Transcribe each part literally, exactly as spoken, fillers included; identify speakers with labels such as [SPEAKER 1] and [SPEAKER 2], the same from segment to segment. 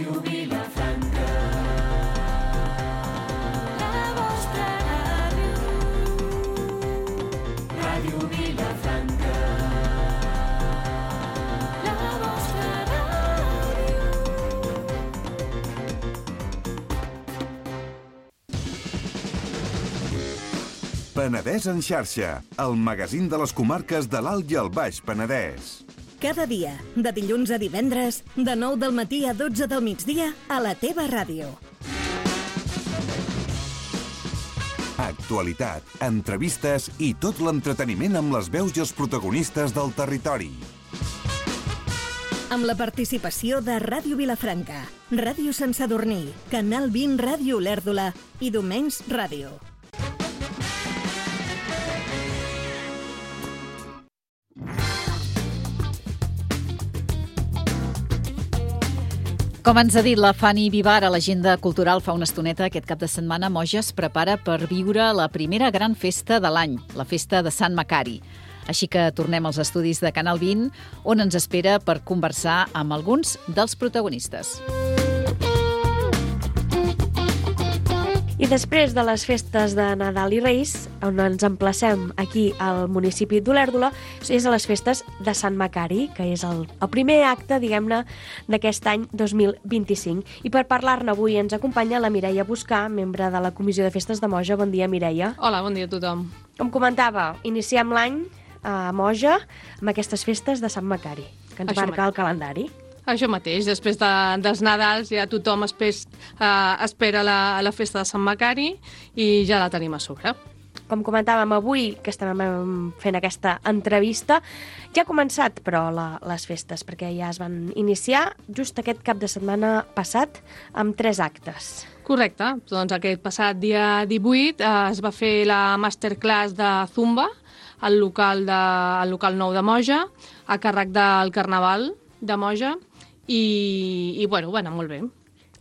[SPEAKER 1] Ràdio Vilafranca. La vostra ràdio. Ràdio Vilafranca. La vostra ràdio.
[SPEAKER 2] Penedès en xarxa, el magazín de les comarques de l'Alt i el Baix Penedès.
[SPEAKER 3] Cada dia, de dilluns a divendres, de nou del matí a dotze del migdia, a la teva ràdio.
[SPEAKER 2] Actualitat, entrevistes i tot l'entreteniment amb les veus i els protagonistes del territori.
[SPEAKER 3] Amb la participació de Ràdio Vilafranca, Ràdio Sant Sadurní, Canal vint Ràdio Olèrdola i Domenys Ràdio.
[SPEAKER 4] Com ens ha dit la Fanny Vivar a l'agenda cultural fa una estoneta, aquest cap de setmana Moja es prepara per viure la primera gran festa de l'any, la festa de Sant Macari. Així que tornem als estudis de Canal vint, on ens espera per conversar amb alguns dels protagonistes.
[SPEAKER 5] I després de les festes de Nadal i Reis, on ens emplacem aquí al municipi d'Olèrdola, és a les festes de Sant Macari, que és el, el primer acte, diguem-ne, d'aquest any dos mil vint-i-cinc. I per parlar-ne avui ens acompanya la Mireia Buscà, membre de la Comissió de Festes de Moja. Bon dia, Mireia.
[SPEAKER 6] Hola, bon dia a tothom.
[SPEAKER 5] Com comentava, iniciem l'any a Moja amb aquestes festes de Sant Macari, que ens
[SPEAKER 6] Això
[SPEAKER 5] marca el calendari.
[SPEAKER 6] Això mateix, després de, dels Nadals ja tothom espes, uh, espera la, la festa de Sant Macari i ja la tenim a sobre.
[SPEAKER 5] Com comentàvem avui, que estem fent aquesta entrevista, ja ha començat, però, la, les festes, perquè ja es van iniciar just aquest cap de setmana passat amb tres actes.
[SPEAKER 6] Correcte, doncs aquest passat dia divuit eh, es va fer la masterclass de Zumba al local, de, al local nou de Moja, a càrrec del Carnaval de Moja, i, i bueno, bueno, molt bé.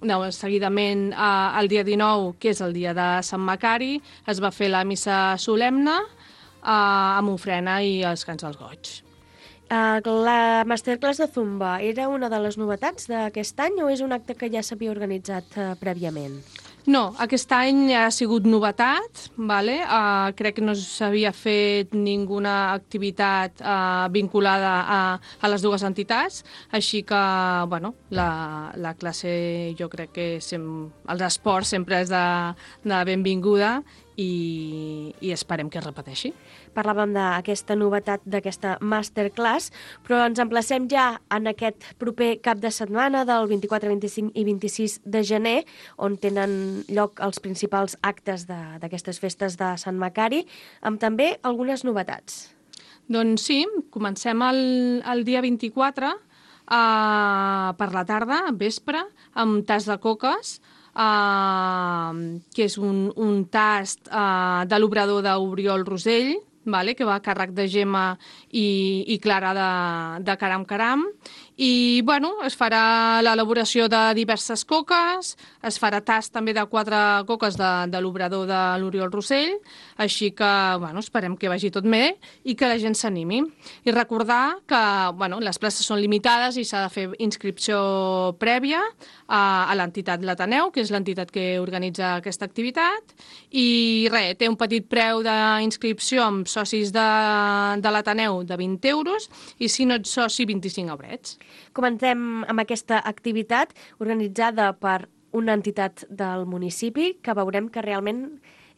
[SPEAKER 6] No, seguidament, eh, el dia dinou, que és el dia de Sant Macari, es va fer la missa solemne eh, amb ofrena i els cants dels goig.
[SPEAKER 5] Uh, la masterclass de Zumba era una de les novetats d'aquest any o és un acte que ja s'havia organitzat uh, prèviament?
[SPEAKER 6] No, aquest any ha sigut novetat, vale? uh, crec que no s'havia fet ninguna activitat uh, vinculada a, a les dues entitats, així que bueno, la, la classe, jo crec que sem, els esports sempre és de, de benvinguda i, i esperem que es repeteixi.
[SPEAKER 5] Parlàvem d'aquesta novetat d'aquesta masterclass, però ens emplacem ja en aquest proper cap de setmana del vint-i-quatre, vint-i-cinc i vint-i-sis de gener, on tenen lloc els principals actes d'aquestes festes de Sant Macari, amb també algunes novetats.
[SPEAKER 6] Doncs sí, comencem el, el dia vint-i-quatre uh, per la tarda, vespre, amb tas de coques, Uh, que és un, un tast uh, de l'obrador d'Oriol Rosell, vale, que va a càrrec de Gemma i, i Clara de, de Caram Caram. I bueno, es farà l'elaboració de diverses coques, es farà tast també de quatre coques de, de l'obrador de l'Oriol Rosell, així que bueno, esperem que vagi tot bé i que la gent s'animi. I recordar que bueno, les places són limitades i s'ha de fer inscripció prèvia a, a l'entitat l'Ateneu, que és l'entitat que organitza aquesta activitat, i res, té un petit preu d'inscripció amb socis de, de l'Ateneu de vint euros i si no ets soci vint-i-cinc eurets.
[SPEAKER 5] Comencem amb aquesta activitat organitzada per una entitat del municipi, que veurem que realment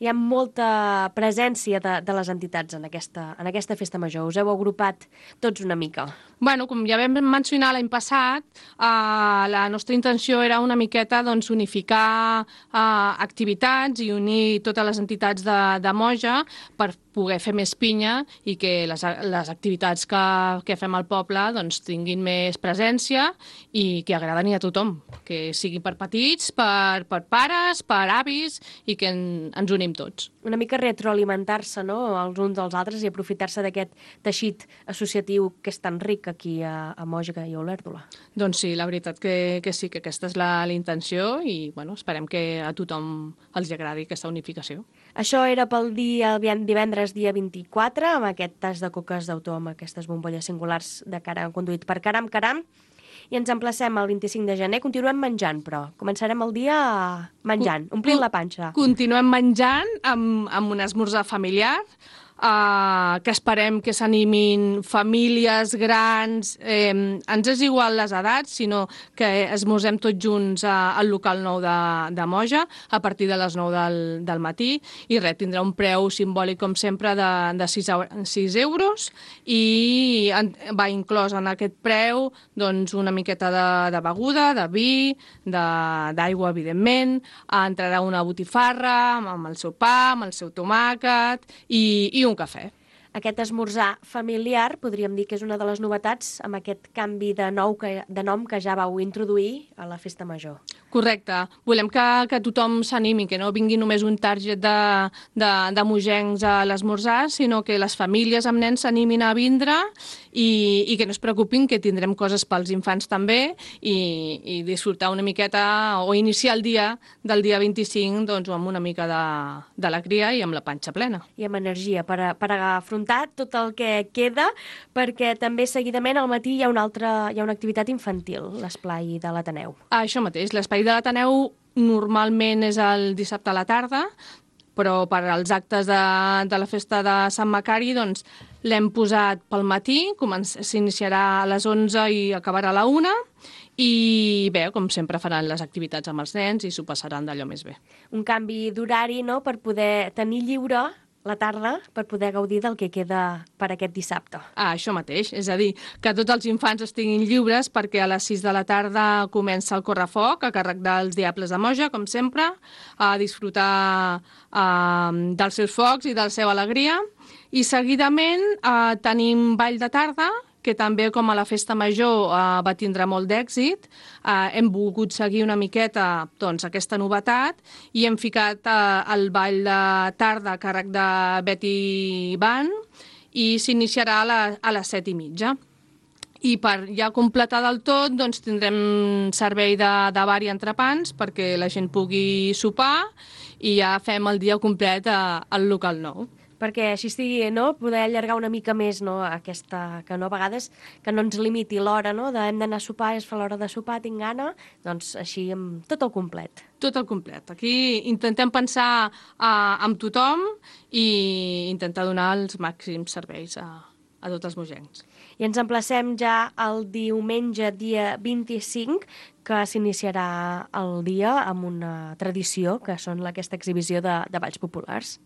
[SPEAKER 5] hi ha molta presència de, de les entitats en aquesta, en aquesta festa major. Us heu agrupat tots una mica.
[SPEAKER 6] Bueno, com ja vam mencionar l'any passat, eh, la nostra intenció era una miqueta doncs, unificar eh, activitats i unir totes les entitats de, de Moja per poder fer més pinya i que les, les activitats que, que fem al poble doncs, tinguin més presència i que agraden a tothom, que sigui per petits, per, per pares, per avis i que en, ens unim tots.
[SPEAKER 5] Una mica retroalimentar-se, no?, els uns dels altres i aprofitar-se d'aquest teixit associatiu que és tan ric aquí a, a Moja i a Olèrdola.
[SPEAKER 6] Doncs sí, la veritat que, que sí, que aquesta és la, la intenció i bueno, esperem que a tothom els agradi aquesta unificació.
[SPEAKER 5] Això era pel dia divendres, dia vint-i-quatre, amb aquest tas de coques d'autor, amb aquestes bombolles singulars de cara conduït per Caram Caram. I ens emplacem el vint-i-cinc de gener. Continuem menjant, però. Començarem el dia menjant, omplint la panxa.
[SPEAKER 6] Continuem menjant amb, amb un esmorzar familiar, Uh, que esperem que s'animin famílies grans, eh, ens és igual les edats, sinó que esmorzem tots junts uh, al local nou de, de Moja a partir de les nou del, del matí, i res, tindrà un preu simbòlic com sempre de, de sis euros, i en, va inclòs en aquest preu doncs, una miqueta de, de beguda, de vi, d'aigua, evidentment, entrarà una botifarra amb el seu pa, amb el seu tomàquet i, i un un cafè.
[SPEAKER 5] Aquest esmorzar familiar podríem dir que és una de les novetats amb aquest canvi de, nou que, de nom que ja vau introduir a la Festa Major.
[SPEAKER 6] Correcte. Volem que, que tothom s'animi, que no vingui només un target de, de, de mogencs a l'esmorzar, sinó que les famílies amb nens s'animin a vindre i, i que no es preocupin, que tindrem coses pels infants també, i, i disfrutar una miqueta o iniciar el dia del dia vint-i-cinc doncs, amb una mica de, de alegria i amb la panxa plena.
[SPEAKER 5] I amb energia per, a, per afrontar tot el que queda, perquè també seguidament al matí hi ha una altra, hi ha una activitat infantil, l'esplai de l'Ateneu.
[SPEAKER 6] Ah, això mateix, l'esplai de l'Ateneu normalment és el dissabte a la tarda, però per als actes de, de la festa de Sant Macari doncs, l'hem posat pel matí, s'iniciarà a les onze i acabarà a la una, i bé, com sempre faran les activitats amb els nens i s'ho passaran d'allò més bé.
[SPEAKER 5] Un canvi d'horari, no?, per poder tenir lliure la tarda per poder gaudir del que queda per aquest dissabte.
[SPEAKER 6] Ah, això mateix, és a dir, que tots els infants estiguin lliures perquè a les sis de la tarda comença el correfoc a càrrec dels Diables de Moja, com sempre, a disfrutar eh, dels seus focs i de la seva alegria. I seguidament eh, tenim ball de tarda, que també, com a la Festa Major, eh, va tindre molt d'èxit. Eh, hem volgut seguir una miqueta doncs, aquesta novetat i hem ficat eh, el ball de tarda a càrrec de Betty Band i s'iniciarà a, la, a les set i mitja. I per ja completar del tot doncs, tindrem servei de, de bar i entrepans perquè la gent pugui sopar i ja fem el dia complet a, al local nou.
[SPEAKER 5] Perquè així estigui, no?, poder allargar una mica més, no?, aquesta, que no a vegades que no ens limiti l'hora, no?, de hem d'anar a sopar, es fa l'hora de sopar, tinc gana, doncs així amb tot el complet.
[SPEAKER 6] Tot el complet. Aquí intentem pensar uh, amb tothom i intentar donar els màxims serveis a, a tots els mogencs.
[SPEAKER 5] I ens emplacem ja el diumenge, dia vint-i-cinc, que s'iniciarà el dia amb una tradició, que són aquesta exhibició de, de balls populars.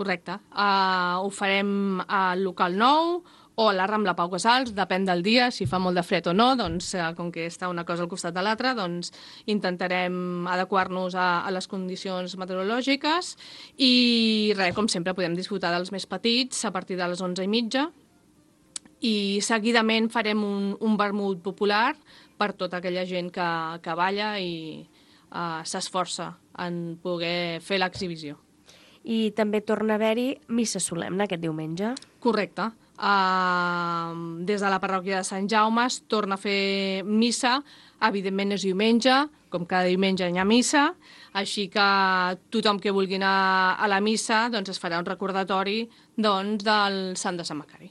[SPEAKER 6] Correcte. Uh, ho farem al local nou o a la Rambla Pau Casals, depèn del dia, si fa molt de fred o no, doncs uh, com que està una cosa al costat de l'altra, doncs intentarem adequar-nos a, a les condicions meteorològiques i res, com sempre podem disfrutar dels més petits a partir de les onze i mitja i seguidament farem un, un vermut popular per tota aquella gent que, que balla i uh, s'esforça en poder fer l'exhibició.
[SPEAKER 5] I també torna a haver-hi missa solemne aquest diumenge.
[SPEAKER 6] Correcte. Uh, des de la parròquia de Sant Jaume es torna a fer missa, evidentment és diumenge, com cada diumenge hi ha missa, així que tothom que vulgui anar a la missa doncs es farà un recordatori doncs, del Sant de Sant Macari.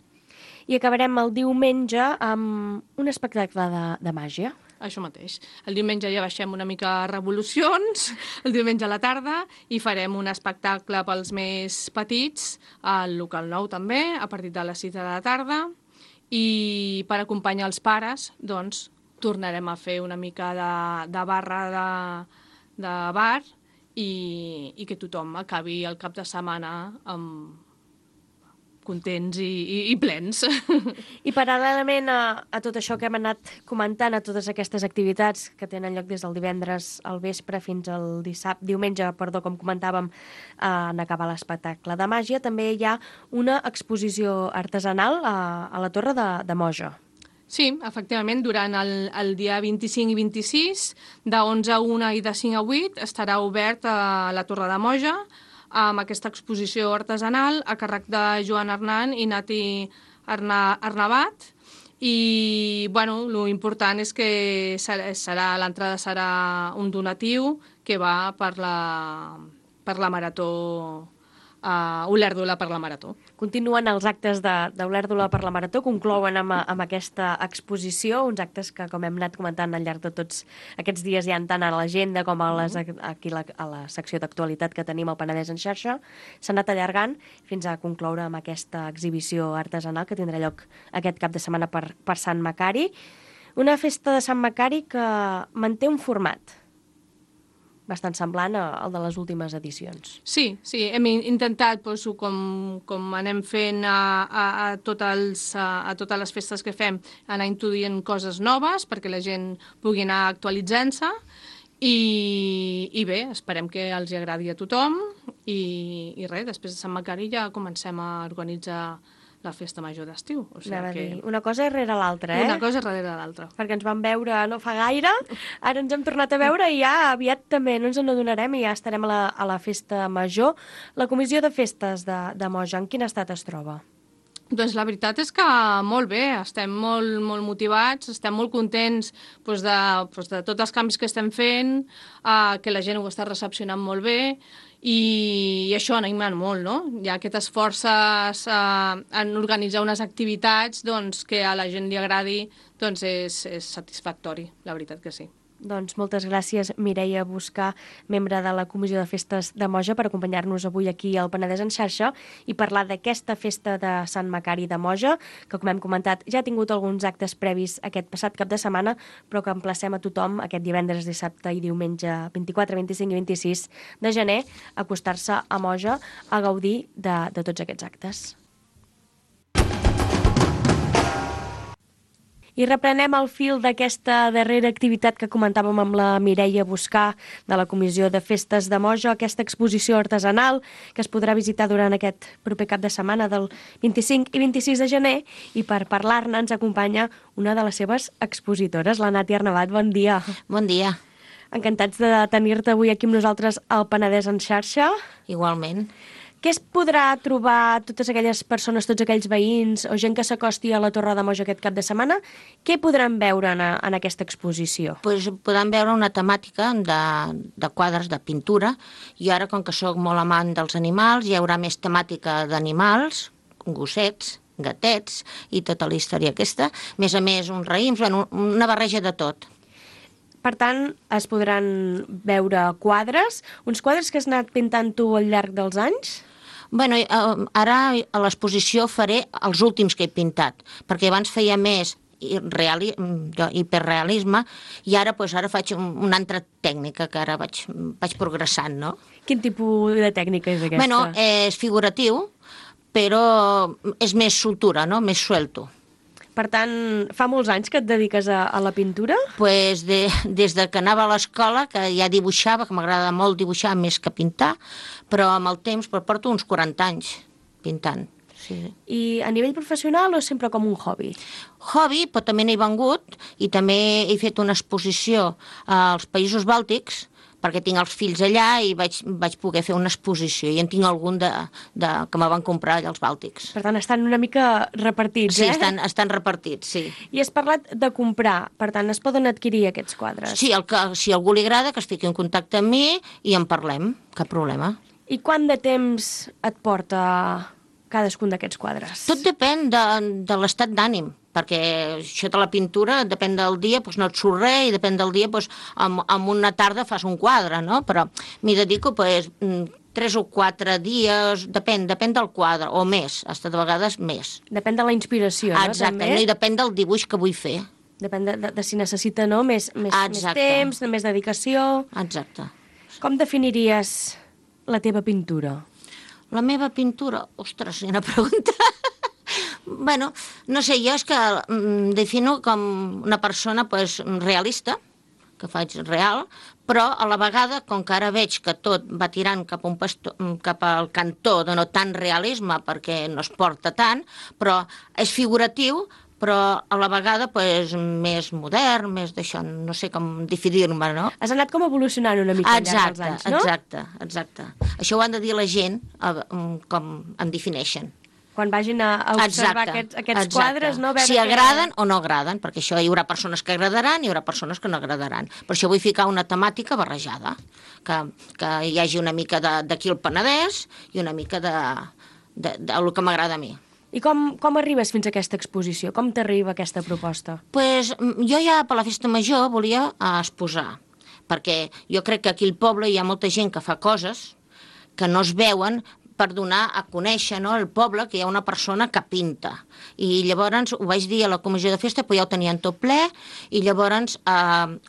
[SPEAKER 5] I acabarem el diumenge amb un espectacle de, de màgia.
[SPEAKER 6] Això mateix. El diumenge ja baixem una mica revolucions, el diumenge a la tarda, i farem un espectacle pels més petits, al local nou també, a partir de les sis de la tarda, i per acompanyar els pares, doncs, tornarem a fer una mica de, de barra de, de bar i, i que tothom acabi el cap de setmana amb contents i, i, i plens.
[SPEAKER 5] I paral·lelament a, a tot això que hem anat comentant, a totes aquestes activitats que tenen lloc des del divendres al vespre fins al dissabte, diumenge, perdó, com comentàvem, eh, en acabar l'espectacle de màgia, també hi ha una exposició artesanal a, a la Torre de, de Moja.
[SPEAKER 6] Sí, efectivament, durant el, el dia vint-i-cinc i vint-i-sis, de onze a una i de cinc a vuit, estarà obert a la Torre de Moja, amb aquesta exposició artesanal a càrrec de Joan Hernán i Nati Arna, Arnabat. I, bueno, lo important és que serà, serà l'entrada serà un donatiu que va per la, per la marató a Olèrdola per la Marató.
[SPEAKER 5] Continuen els actes de, de Olèrdola per la Marató, conclouen amb, amb aquesta exposició, uns actes que, com hem anat comentant al llarg de tots aquests dies, hi ha tant a l'agenda com a, les, aquí la, a la secció d'actualitat que tenim al Penedès en xarxa. S'ha anat allargant fins a concloure amb aquesta exhibició artesanal que tindrà lloc aquest cap de setmana per, per Sant Macari. Una festa de Sant Macari que manté un format bastant semblant al de les últimes edicions.
[SPEAKER 6] Sí, sí, hem intentat, doncs, com, com anem fent a, a, a, tot els, a, a totes les festes que fem, anar introduint coses noves perquè la gent pugui anar actualitzant-se i, i bé, esperem que els hi agradi a tothom i, i res, després de Sant Macari ja comencem a organitzar la festa major d'estiu. O sigui
[SPEAKER 5] Anava a
[SPEAKER 6] que...
[SPEAKER 5] dir, una cosa darrere l'altra, eh?
[SPEAKER 6] Una cosa darrere l'altra.
[SPEAKER 5] Perquè ens vam veure no fa gaire, ara ens hem tornat a veure i ja aviat també no ens n'adonarem i ja estarem a la, a la festa major. La comissió de festes de, de Moja, en quin estat es troba?
[SPEAKER 6] Doncs la veritat és que molt bé, estem molt, molt motivats, estem molt contents doncs de, doncs de tots els canvis que estem fent, eh, que la gent ho està recepcionant molt bé i, i això anima molt, no? Hi ha aquestes forces eh, en organitzar unes activitats doncs, que a la gent li agradi, doncs és, és satisfactori, la veritat que sí.
[SPEAKER 5] Doncs moltes gràcies, Mireia Buscar, membre de la Comissió de Festes de Moja, per acompanyar-nos avui aquí al Penedès en xarxa i parlar d'aquesta festa de Sant Macari de Moja, que, com hem comentat, ja ha tingut alguns actes previs aquest passat cap de setmana, però que emplacem a tothom aquest divendres, dissabte i diumenge vint-i-quatre, vint-i-cinc i vint-i-sis de gener a acostar-se a Moja a gaudir de, de tots aquests actes. I reprenem el fil d'aquesta darrera activitat que comentàvem amb la Mireia Buscar de la Comissió de Festes de Moja, aquesta exposició artesanal que es podrà visitar durant aquest proper cap de setmana del vint-i-cinc i vint-i-sis de gener, i per parlar-ne ens acompanya una de les seves expositores, la Nati Arnabat. Bon dia.
[SPEAKER 7] Bon dia.
[SPEAKER 5] Encantats de tenir-te avui aquí amb nosaltres al Penedès en xarxa.
[SPEAKER 7] Igualment.
[SPEAKER 5] Què es podrà trobar totes aquelles persones, tots aquells veïns o gent que s'acosti a la Torre de Moja aquest cap de setmana? Què podran veure en, en aquesta exposició?
[SPEAKER 7] Pues podran veure una temàtica de, de quadres de pintura, i ara, com que sóc molt amant dels animals, hi haurà més temàtica d'animals, gossets, gatets i tota la història aquesta. A més a més, uns raïms, bueno, una barreja de tot.
[SPEAKER 5] Per tant, es podran veure quadres, uns quadres que has anat pintant tu al llarg dels anys?
[SPEAKER 7] Bueno, ara a l'exposició faré els últims que he pintat, perquè abans feia més reali, hiperrealisme, i ara, pues, ara faig una altra tècnica que ara vaig, vaig progressant, no?
[SPEAKER 5] Quin tipus de tècnica és aquesta?
[SPEAKER 7] Bueno, és figuratiu, però és més soltura, no? Més suelto.
[SPEAKER 5] Per tant, fa molts anys que et dediques a, a la pintura?
[SPEAKER 7] Pues de, des de que anava a l'escola, que ja dibuixava, que m'agrada molt dibuixar més que pintar, però amb el temps però porto uns quaranta anys pintant. Sí.
[SPEAKER 5] I a nivell professional o sempre com un hobby?
[SPEAKER 7] Hobby, però també n'he vengut i també he fet una exposició als Països Bàltics, perquè tinc els fills allà i vaig, vaig poder fer una exposició, i en tinc algun de, de, que me van comprar allà als Bàltics.
[SPEAKER 5] Per tant, estan una mica repartits,
[SPEAKER 7] sí,
[SPEAKER 5] eh?
[SPEAKER 7] Sí, estan, estan repartits, sí.
[SPEAKER 5] I has parlat de comprar, per tant, es poden adquirir aquests quadres?
[SPEAKER 7] Sí, el que, si a algú li agrada, que es fiqui en contacte amb mi i en parlem, cap problema.
[SPEAKER 5] I quant de temps et porta cadascun d'aquests quadres?
[SPEAKER 7] Tot depèn de, de l'estat d'ànim, perquè això de la pintura depèn del dia, doncs no et surt res, i depèn del dia, doncs en, en una tarda fas un quadre, no? Però m'hi dedico doncs, tres o quatre dies, depèn, depèn del quadre, o més, fins de vegades més.
[SPEAKER 5] Depèn de la inspiració, no?
[SPEAKER 7] Exacte,
[SPEAKER 5] També?
[SPEAKER 7] I depèn del dibuix que vull fer.
[SPEAKER 5] Depèn de, de, de si necessita, no?, més, més, més temps, més dedicació.
[SPEAKER 7] Exacte.
[SPEAKER 5] Com definiries la teva pintura?
[SPEAKER 7] La meva pintura? Ostres, una pregunta. Bueno, no sé, jo és que mm, defino com una persona pues, realista, que faig real, però a la vegada, com que ara veig que tot va tirant cap, un pasto, cap al cantó de no tant realisme, perquè no es porta tant, però és figuratiu, però a la vegada pues, més modern, més d'això, no sé com definir-me, no?
[SPEAKER 5] Has anat com evolucionant una mica al llarg dels anys, no?
[SPEAKER 7] Exacte, exacte. Això ho han de dir la gent, com em defineixen.
[SPEAKER 5] quan vagin a, a observar
[SPEAKER 7] Exacte,
[SPEAKER 5] aquests, aquests
[SPEAKER 7] exacte.
[SPEAKER 5] quadres, no? Veure
[SPEAKER 7] si
[SPEAKER 5] que-
[SPEAKER 7] agraden o no agraden, perquè això hi haurà persones que agradaran i hi haurà persones que no agradaran. Per això vull ficar una temàtica barrejada, que, que hi hagi una mica de- d'aquí el Penedès i una mica de, de, de, de el que m'agrada a mi.
[SPEAKER 5] I com, com arribes fins a aquesta exposició? Com t'arriba aquesta proposta?
[SPEAKER 7] Pues, mm, jo ja per la festa major volia eh, exposar, perquè jo crec que aquí al poble hi ha molta gent que fa coses que no es veuen per donar a conèixer, no, al poble que hi ha una persona que pinta. I llavors ho vaig dir a la comissió de festa, però ja ho tenien tot ple, i llavors eh,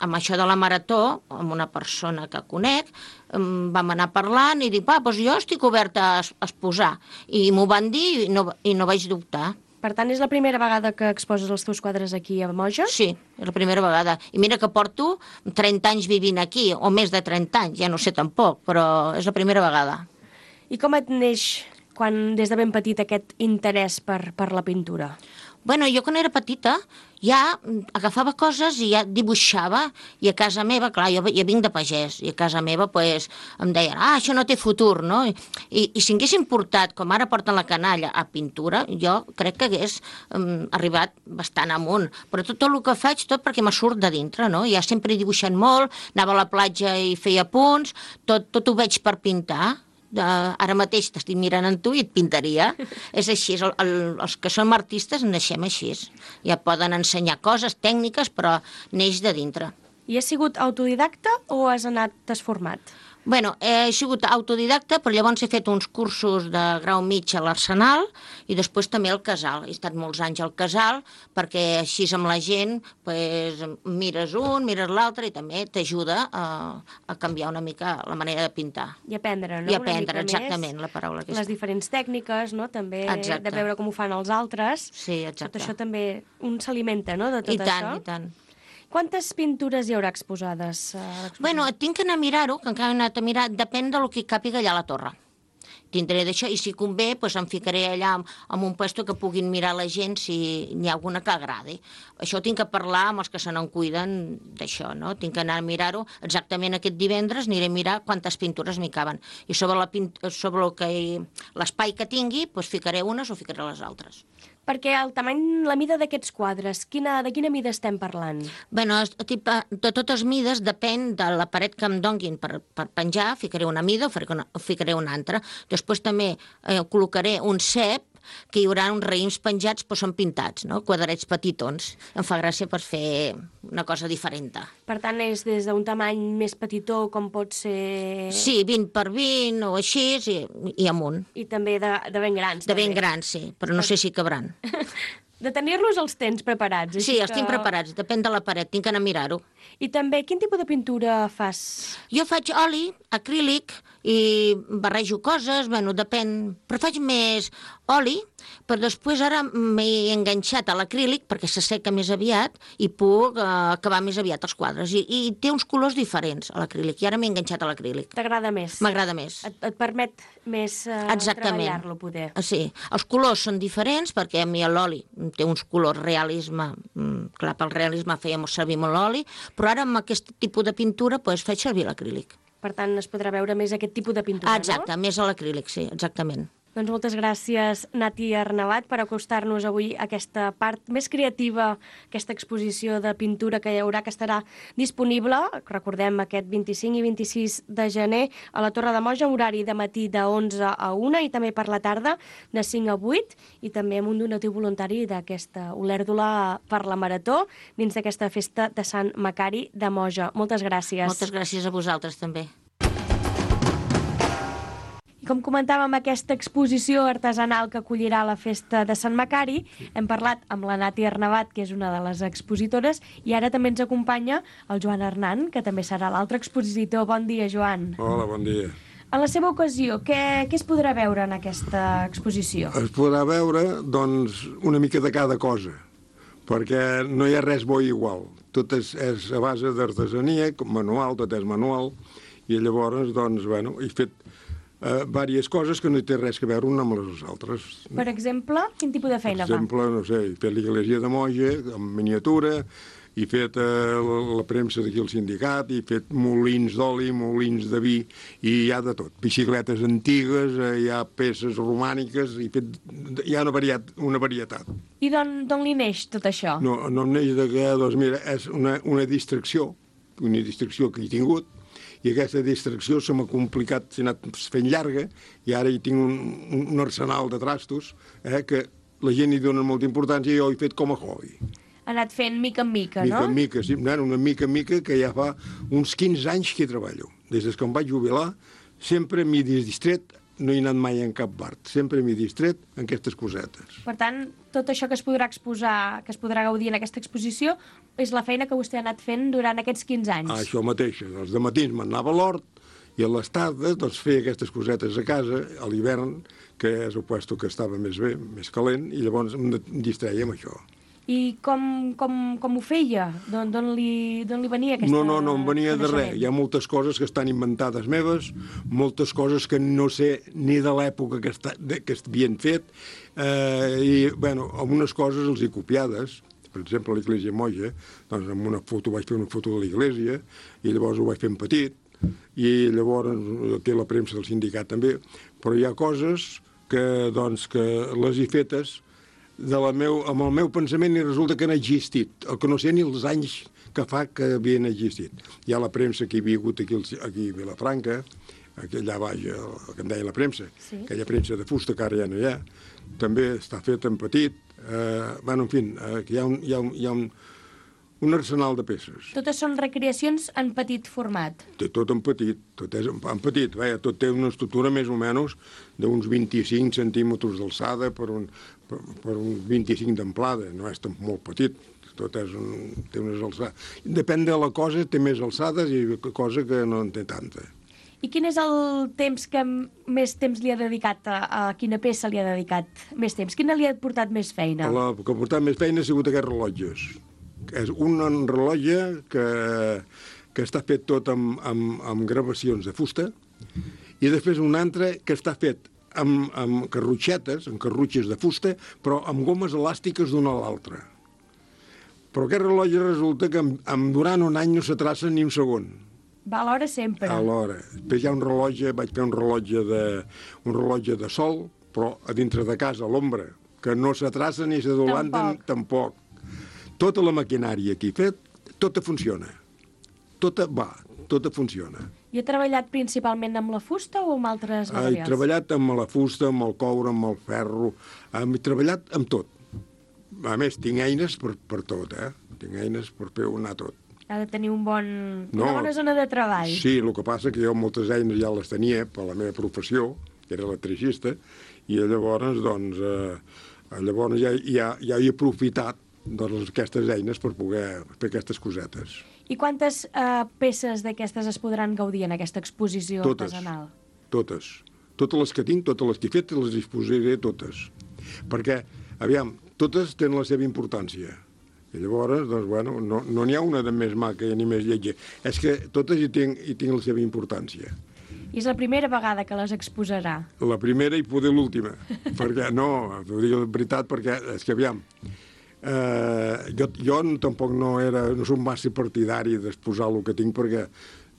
[SPEAKER 7] amb això de la marató, amb una persona que conec, em vam anar parlant i dic, va, doncs jo estic oberta a es- a exposar. I m'ho van dir i no, i no vaig dubtar.
[SPEAKER 5] Per tant, és la primera vegada que exposes els teus quadres aquí a Moja?
[SPEAKER 7] Sí, és la primera vegada. I mira que porto trenta anys vivint aquí, o més de trenta anys, ja no sé tampoc, però és la primera vegada.
[SPEAKER 5] I com et neix, quan des de ben petit, aquest interès per, per la pintura?
[SPEAKER 7] Bueno, jo quan era petita ja agafava coses i ja dibuixava, i a casa meva, clar, jo, jo vinc de pagès, i a casa meva pues, em deien, ah, això no té futur, no? I, i, i si haguessin portat, com ara porten la canalla, a pintura, jo crec que hagués um, arribat bastant amunt. Però tot, tot el que faig, tot perquè me surt de dintre, no? Ja sempre he dibuixat molt, anava a la platja i feia punts, tot, tot ho veig per pintar. Uh, ara mateix t'estic mirant en tu i et pintaria. És així, el, el, els que som artistes naixem així. Ja poden ensenyar coses tècniques, però neix de dintre.
[SPEAKER 5] I has sigut autodidacta o has anat, t'has format?
[SPEAKER 7] Bueno, he sigut autodidacta, però llavors he fet uns cursos de grau mig a l'Arsenal i després també al Casal. He estat molts anys al Casal perquè així amb la gent pues, mires un, mires l'altre i també t'ajuda a, a canviar una mica la manera de pintar.
[SPEAKER 5] I aprendre, no?
[SPEAKER 7] I
[SPEAKER 5] Una
[SPEAKER 7] aprendre,
[SPEAKER 5] mica
[SPEAKER 7] exactament,
[SPEAKER 5] més
[SPEAKER 7] la paraula que
[SPEAKER 5] les
[SPEAKER 7] és.
[SPEAKER 5] diferents tècniques, no? També
[SPEAKER 7] Exacte.
[SPEAKER 5] de veure com ho fan els altres.
[SPEAKER 7] Sí, exacte.
[SPEAKER 5] Tot això també un s'alimenta, no?, de tot
[SPEAKER 7] I tant,
[SPEAKER 5] això.
[SPEAKER 7] i tant.
[SPEAKER 5] Quantes pintures hi haurà exposades a l'exposició?
[SPEAKER 7] Bueno, tinc que anar a mirar-ho, que encara he anat a mirar, depèn del que càpiga allà a la torre. Tindré d'això, i si convé, doncs em ficaré allà en, en un puesto que puguin mirar la gent si n'hi ha alguna que agradi. Això tinc que parlar amb els que se n'en cuiden d'això, no? Tinc que anar a mirar-ho. Exactament aquest divendres aniré a mirar quantes pintures m'hi caben. I sobre la pint sobre el que l'espai que tingui, doncs ficaré unes o ficaré les altres.
[SPEAKER 5] Perquè el tamany, la mida d'aquests quadres, quina, de quina mida estem parlant?
[SPEAKER 7] Bueno, es- tip- de totes mides depèn de la paret que em donguin per, per penjar, ficaré una mida o ficaré una, o ficaré una altra. Després també eh, col·locaré un cep, que hi haurà uns raïms penjats, però són pintats, no? Quadrets petitons. Em fa gràcia per fer una cosa diferent.
[SPEAKER 5] Per tant, és des d'un tamany més petitó, com pot ser...
[SPEAKER 7] Sí, vint per vint o així, i, i amunt.
[SPEAKER 5] I també de, de ben grans.
[SPEAKER 7] De ben
[SPEAKER 5] també.
[SPEAKER 7] grans, sí, però no sé si cabran.
[SPEAKER 5] De tenir-los els tens preparats.
[SPEAKER 7] Sí,
[SPEAKER 5] així
[SPEAKER 7] els tinc
[SPEAKER 5] que-
[SPEAKER 7] preparats, depèn de la paret, tinc que anar a mirar-ho.
[SPEAKER 5] I també, quin tipus de pintura fas?
[SPEAKER 7] Jo faig oli, acrílic, i barrejo coses, bueno, depèn, però faig més oli, però després ara m'he enganxat a l'acrílic perquè s'asseca més aviat i puc eh, acabar més aviat els quadres. I, I té uns colors diferents a l'acrílic, i ara m'he enganxat a l'acrílic.
[SPEAKER 5] T'agrada més?
[SPEAKER 7] M'agrada més.
[SPEAKER 5] Et, et permet més eh,
[SPEAKER 7] Exactament.
[SPEAKER 5] treballar-lo, poder.
[SPEAKER 7] Ah, sí, els colors són diferents perquè a mi l'oli té uns colors realisme, mm, clar, pel realisme fèiem servir molt l'oli, però ara amb aquest tipus de pintura pues, faig servir l'acrílic.
[SPEAKER 5] Per tant, es podrà veure més aquest tipus de pintura,
[SPEAKER 7] Ah, exacte, més a l'acrílic, sí, exactament.
[SPEAKER 5] no? Doncs moltes gràcies, Nati Arnabat, per acostar-nos avui a aquesta part més creativa, aquesta exposició de pintura que hi haurà, que estarà disponible, recordem, aquest vint-i-cinc i vint-i-sis de gener, a la Torre de Moja, horari de matí de onze a una i també per la tarda de cinc a vuit, i també amb un donatiu voluntari d'aquesta Olèrdola per la Marató, dins d'aquesta festa de Sant Macari de Moja. Moltes gràcies.
[SPEAKER 7] Moltes gràcies a vosaltres també.
[SPEAKER 5] I com comentàvem, aquesta exposició artesanal que acollirà la festa de Sant Macari, hem parlat amb la Nati Arnabat, que és una de les expositores, i ara també ens acompanya el Joan Hernán, que també serà l'altre expositor. Bon dia, Joan.
[SPEAKER 8] Hola, bon dia.
[SPEAKER 5] En la seva ocasió, què, què es podrà veure en aquesta exposició?
[SPEAKER 8] Es podrà veure, doncs, una mica de cada cosa, perquè no hi ha res bo i igual. Tot és, és a base d'artesania, manual, tot és manual, i llavors, doncs, bueno, he fet eh, diverses coses que no hi té res a veure una amb les altres.
[SPEAKER 5] Per exemple, quin tipus de feina
[SPEAKER 8] Per exemple, no sé, he fet l'església de Moja, en miniatura, he fet eh, la, la premsa d'aquí al sindicat, he fet molins d'oli, molins de vi, i hi ha de tot. Bicicletes antigues, eh, hi ha peces romàniques, he fet, hi ha una, variat, una varietat.
[SPEAKER 5] I d'on li neix tot això?
[SPEAKER 8] No, no em neix de que, doncs mira, és una, una distracció, una distracció que he tingut, i aquesta distracció se m'ha complicat, s'ha anat fent llarga, i ara hi tinc un, un arsenal de trastos eh, que la gent hi dona molta importància i jo he fet com a hobby.
[SPEAKER 5] Ha anat fent mica en mica,
[SPEAKER 8] mica
[SPEAKER 5] no?
[SPEAKER 8] Mica en mica, sí, una mica en mica, que ja fa uns quinze anys que hi treballo. Des que em vaig jubilar, sempre m'he distret, no he anat mai en cap bar, sempre m'he distret en aquestes cosetes.
[SPEAKER 5] Per tant, tot això que es podrà exposar, que es podrà gaudir en aquesta exposició, és la feina que vostè ha anat fent durant aquests quinze anys.
[SPEAKER 8] Ah, això mateix. Els dematins m'anava a l'hort i a les tardes doncs, feia aquestes cosetes a casa, a l'hivern, que és el puesto que estava més bé, més calent, i llavors em distreia amb això.
[SPEAKER 5] I com, com, com ho feia? D'on li, li venia aquesta
[SPEAKER 8] No, no, no em venia de res. Hi ha moltes coses que estan inventades meves, moltes coses que no sé ni de l'època que, està, que havien fet, eh, i, bueno, algunes coses els he copiades. Per exemple, a l'Església Moja, doncs amb una foto vaig fer una foto de l'Església, i llavors ho vaig fer en petit, i llavors té la premsa del sindicat també, però hi ha coses que, doncs, que les he fetes de la meu, amb el meu pensament i resulta que han existit, el que no sé ni els anys que fa que havien existit. Hi ha la premsa que hi havia hagut aquí, aquí a Vilafranca, aquí allà baix, el, el que em deia la premsa, sí. Aquella premsa de fusta que ara ja no hi ha, també està feta en petit, eh, bueno, en fi, eh, hi ha, un, hi ha, un, hi ha un, un arsenal de peces.
[SPEAKER 5] Totes són recreacions en petit format?
[SPEAKER 8] Té tot en petit, tot és en, en petit, veia, tot té una estructura més o menys d'uns vint-i-cinc centímetres d'alçada per un, per, per un vint-i-cinc d'amplada, no és tan molt petit, tot és un, té unes alçades. Depèn de la cosa, té més alçades i cosa que no en té tanta.
[SPEAKER 5] I quin és el temps que més temps li ha dedicat, a, a quina peça li ha dedicat més temps? Quina li ha portat més feina?
[SPEAKER 8] La que ha portat més feina ha sigut aquests rellotges. És un rellotge que, que està fet tot amb, amb, amb gravacions de fusta i després un altre que està fet amb, amb carrutxetes, amb carrutxes de fusta, però amb gomes elàstiques d'una a l'altra. Però aquest rellotge resulta que en, en durant un any no s'atraça ni un segon.
[SPEAKER 5] Va a l'hora sempre.
[SPEAKER 8] A l'hora. Després hi ha un rellotge, vaig fer un rellotge de, un rellotge de sol, però a dintre de casa, a l'ombra, que no s'atraça ni s'adolanta tampoc. tampoc. Tota la maquinària que he fet, tota funciona. Tota va, tota funciona.
[SPEAKER 5] I ha treballat principalment amb la fusta o amb altres materials?
[SPEAKER 8] He treballat amb la fusta, amb el coure, amb el ferro, he treballat amb tot. A més, tinc eines per, per tot, eh? Tinc eines per fer anar tot.
[SPEAKER 5] Ha de tenir un bon,
[SPEAKER 8] no,
[SPEAKER 5] una bona zona de treball.
[SPEAKER 8] Sí, el que passa que jo moltes eines ja les tenia per la meva professió, que era electricista, i llavors, doncs, eh, llavors ja, ja, ja he aprofitat doncs, aquestes eines per poder fer aquestes cosetes.
[SPEAKER 5] I quantes eh, peces d'aquestes es podran gaudir en aquesta exposició
[SPEAKER 8] totes,
[SPEAKER 5] artesanal?
[SPEAKER 8] Totes. Totes les que tinc, totes les que he fet, les disposaré totes. Perquè, aviam, totes tenen la seva importància. I llavors, doncs, bueno, no n'hi no ha una de més maca ni més lletja. És que totes hi tinc, hi tinc la seva importància.
[SPEAKER 5] I és la primera vegada que les exposarà?
[SPEAKER 8] La primera i poder l'última. Perquè, no, ho dic la veritat, perquè, és que, aviam, eh, jo, jo tampoc no era, no soc massa partidari d'exposar el que tinc, perquè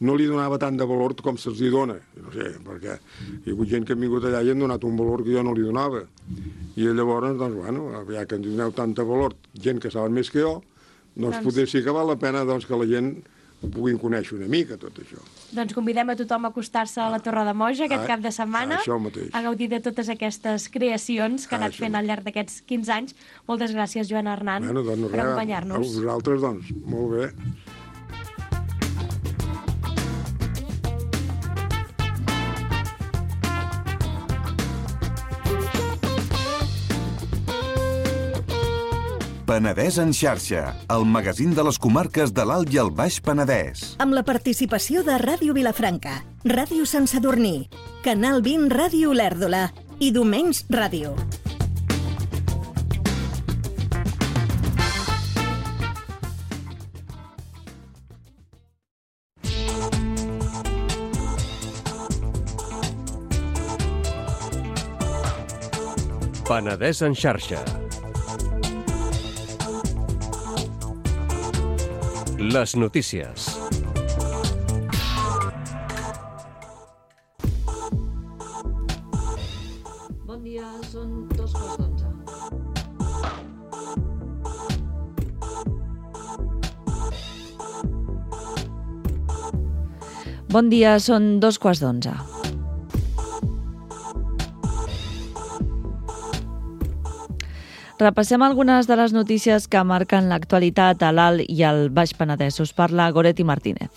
[SPEAKER 8] no li donava tant de valor com se'ls hi dona. No sé, perquè hi ha hagut gent que ha vingut allà i han donat un valor que jo no li donava. I llavors, doncs, bueno, ja que ens doneu tant de valor, gent que saben més que jo, doncs, doncs... potser sí que val la pena doncs, que la gent ho puguin conèixer una mica, tot això.
[SPEAKER 5] Doncs convidem a tothom a acostar-se a la Torre de Moja aquest ah, cap de setmana, a gaudir de totes aquestes creacions que ha anat fent al llarg d'aquests quinze anys. Moltes gràcies, Joan Arnant,
[SPEAKER 8] bueno, doncs,
[SPEAKER 5] per acompanyar-nos.
[SPEAKER 8] A vosaltres, doncs, molt bé.
[SPEAKER 2] Penedès en xarxa, el magazín de les comarques de l'Alt i el Baix Penedès.
[SPEAKER 3] Amb la participació de Ràdio Vilafranca, Ràdio Sant Sadurní, Canal vint Ràdio Olèrdola i Domenys Ràdio.
[SPEAKER 9] Penedès en xarxa. Les notícies.
[SPEAKER 10] Bon dia, són dos quarts d'onze. Bon dia, són dos quarts d'onze. Repassem algunes de les notícies que marquen l'actualitat a l'Alt i al Baix Penedès. Us parla Goretti Martínez.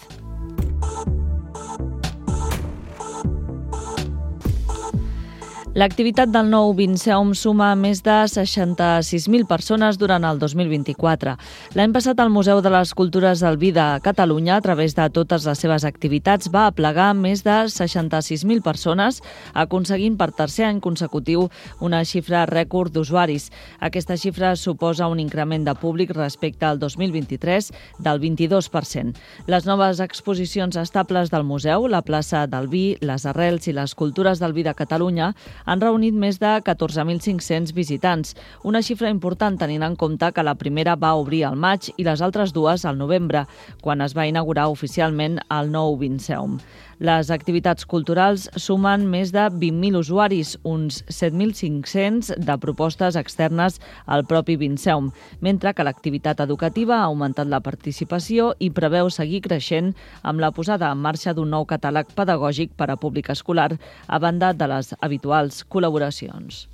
[SPEAKER 10] L'activitat del nou Vinceum suma més de seixanta-sis mil persones durant el dos mil vint-i-quatre. L'any passat el Museu de les Cultures del Vi de Catalunya, a través de totes les seves activitats, va aplegar més de seixanta-sis mil persones, aconseguint per tercer any consecutiu una xifra rècord d'usuaris. Aquesta xifra suposa un increment de públic respecte al dos mil vint-i-tres del vint-i-dos per cent. Les noves exposicions estables del museu, la plaça del Vi, les arrels i les cultures del vi de Catalunya, han reunit més de catorze mil cinc-cents visitants, una xifra important tenint en compte que la primera va obrir al maig i les altres dues al novembre, quan es va inaugurar oficialment el nou Vinceum. Les activitats culturals sumen més de vint mil usuaris, uns set mil cinc-cents de propostes externes al propi Vinceum, mentre que l'activitat educativa ha augmentat la participació i preveu seguir creixent amb la posada en marxa d'un nou catàleg pedagògic per a públic escolar, a banda de les habituals col·laboracions.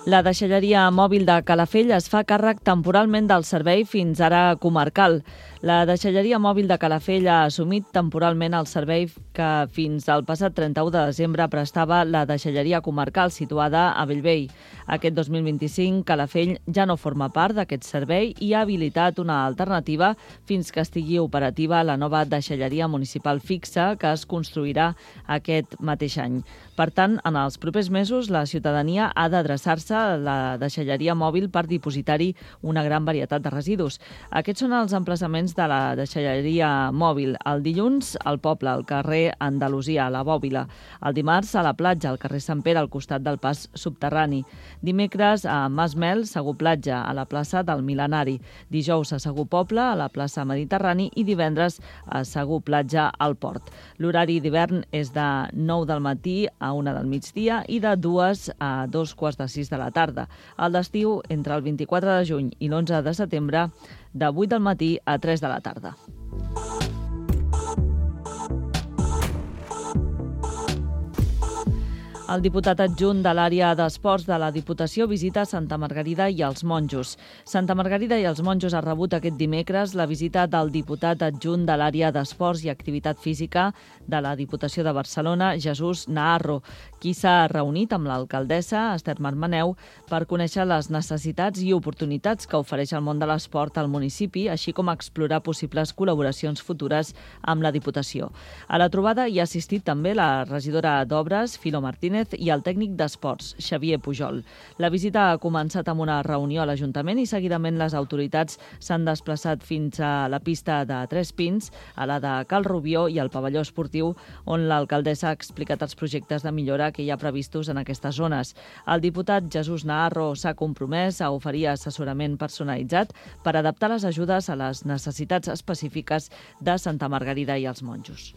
[SPEAKER 10] La deixalleria mòbil de Calafell es fa càrrec temporalment del servei fins ara comarcal. La deixalleria mòbil de Calafell ha assumit temporalment el servei que fins al passat trenta-u de desembre prestava la deixalleria comarcal situada a Bellvei. Aquest dos mil vint-i-cinc, Calafell ja no forma part d'aquest servei i ha habilitat una alternativa fins que estigui operativa la nova deixalleria municipal fixa que es construirà aquest mateix any. Per tant, en els propers mesos, la ciutadania ha d'adreçar-se a la deixalleria mòbil per dipositar-hi una gran varietat de residus. Aquests són els emplaçaments de la deixalleria mòbil. El dilluns, al poble, al carrer Andalusia, a la Bòbila. El dimarts, a la platja, al carrer Sant Pere, al costat del pas subterrani. Dimecres, a Masmel, Segur Platja, a la plaça del Mil·lenari. Dijous, a Segur Poble, a la plaça Mediterrani, i divendres, a Segur Platja, al Port. L'horari d'hivern és de nou del matí a una del migdia i de dues a dos quarts de sis de la tarda. El d'estiu, entre el vint-i-quatre de juny i l'onze de setembre, de vuit del matí a tres de la tarda. El diputat adjunt de l'àrea d'esports de la Diputació visita Santa Margarida i els Monjos. Santa Margarida i els Monjos ha rebut aquest dimecres la visita del diputat adjunt de l'àrea d'esports i activitat física de la Diputació de Barcelona, Jesús Naharro, qui s'ha reunit amb l'alcaldessa, Esther Marmaneu, per conèixer les necessitats i oportunitats que ofereix el món de l'esport al municipi, així com explorar possibles col·laboracions futures amb la Diputació. A la trobada hi ha assistit també la regidora d'Obres, Filo Martínez, i el tècnic d'esports, Xavier Pujol. La visita ha començat amb una reunió a l'Ajuntament i seguidament les autoritats s'han desplaçat fins a la pista de Tres Pins, a la de Cal Rubió i al pavelló esportiu, on l'alcaldessa ha explicat els projectes de millora que hi ha previstos en aquestes zones. El diputat Jesús Naharro s'ha compromès a oferir assessorament personalitzat per adaptar les ajudes a les necessitats específiques de Santa Margarida i els Monjos.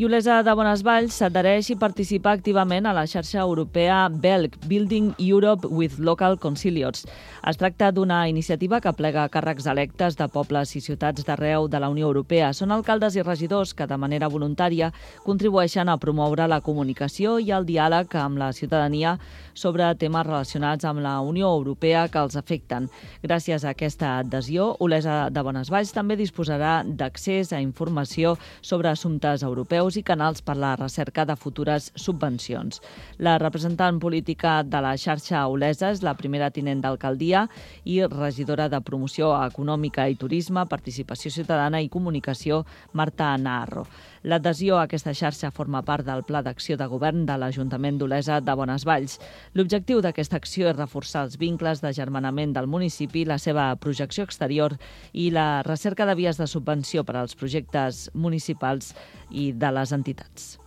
[SPEAKER 10] I Olesa de Bonesvalls s'adhereix i participa activament a la xarxa europea B E L C, Building Europe with Local Concilios. Es tracta d'una iniciativa que plega càrrecs electes de pobles i ciutats d'arreu de la Unió Europea. Són alcaldes i regidors que de manera voluntària contribueixen a promoure la comunicació i el diàleg amb la ciutadania sobre temes relacionats amb la Unió Europea que els afecten. Gràcies a aquesta adhesió, Olesa de Bonesvalls també disposarà d'accés a informació sobre assumptes europeus i canals per la recerca de futures subvencions. La representant política de la xarxa Olesa és la primera tinent d'alcaldia i regidora de Promoció Econòmica i Turisme, Participació Ciutadana i Comunicació, Marta Naharro. L'adhesió a aquesta xarxa forma part del Pla d'Acció de Govern de l'Ajuntament d'Olesa de Bonesvalls. L'objectiu d'aquesta acció és reforçar els vincles d'agermanament del municipi, la seva projecció exterior i la recerca de vies de subvenció per als projectes municipals i de les entitats.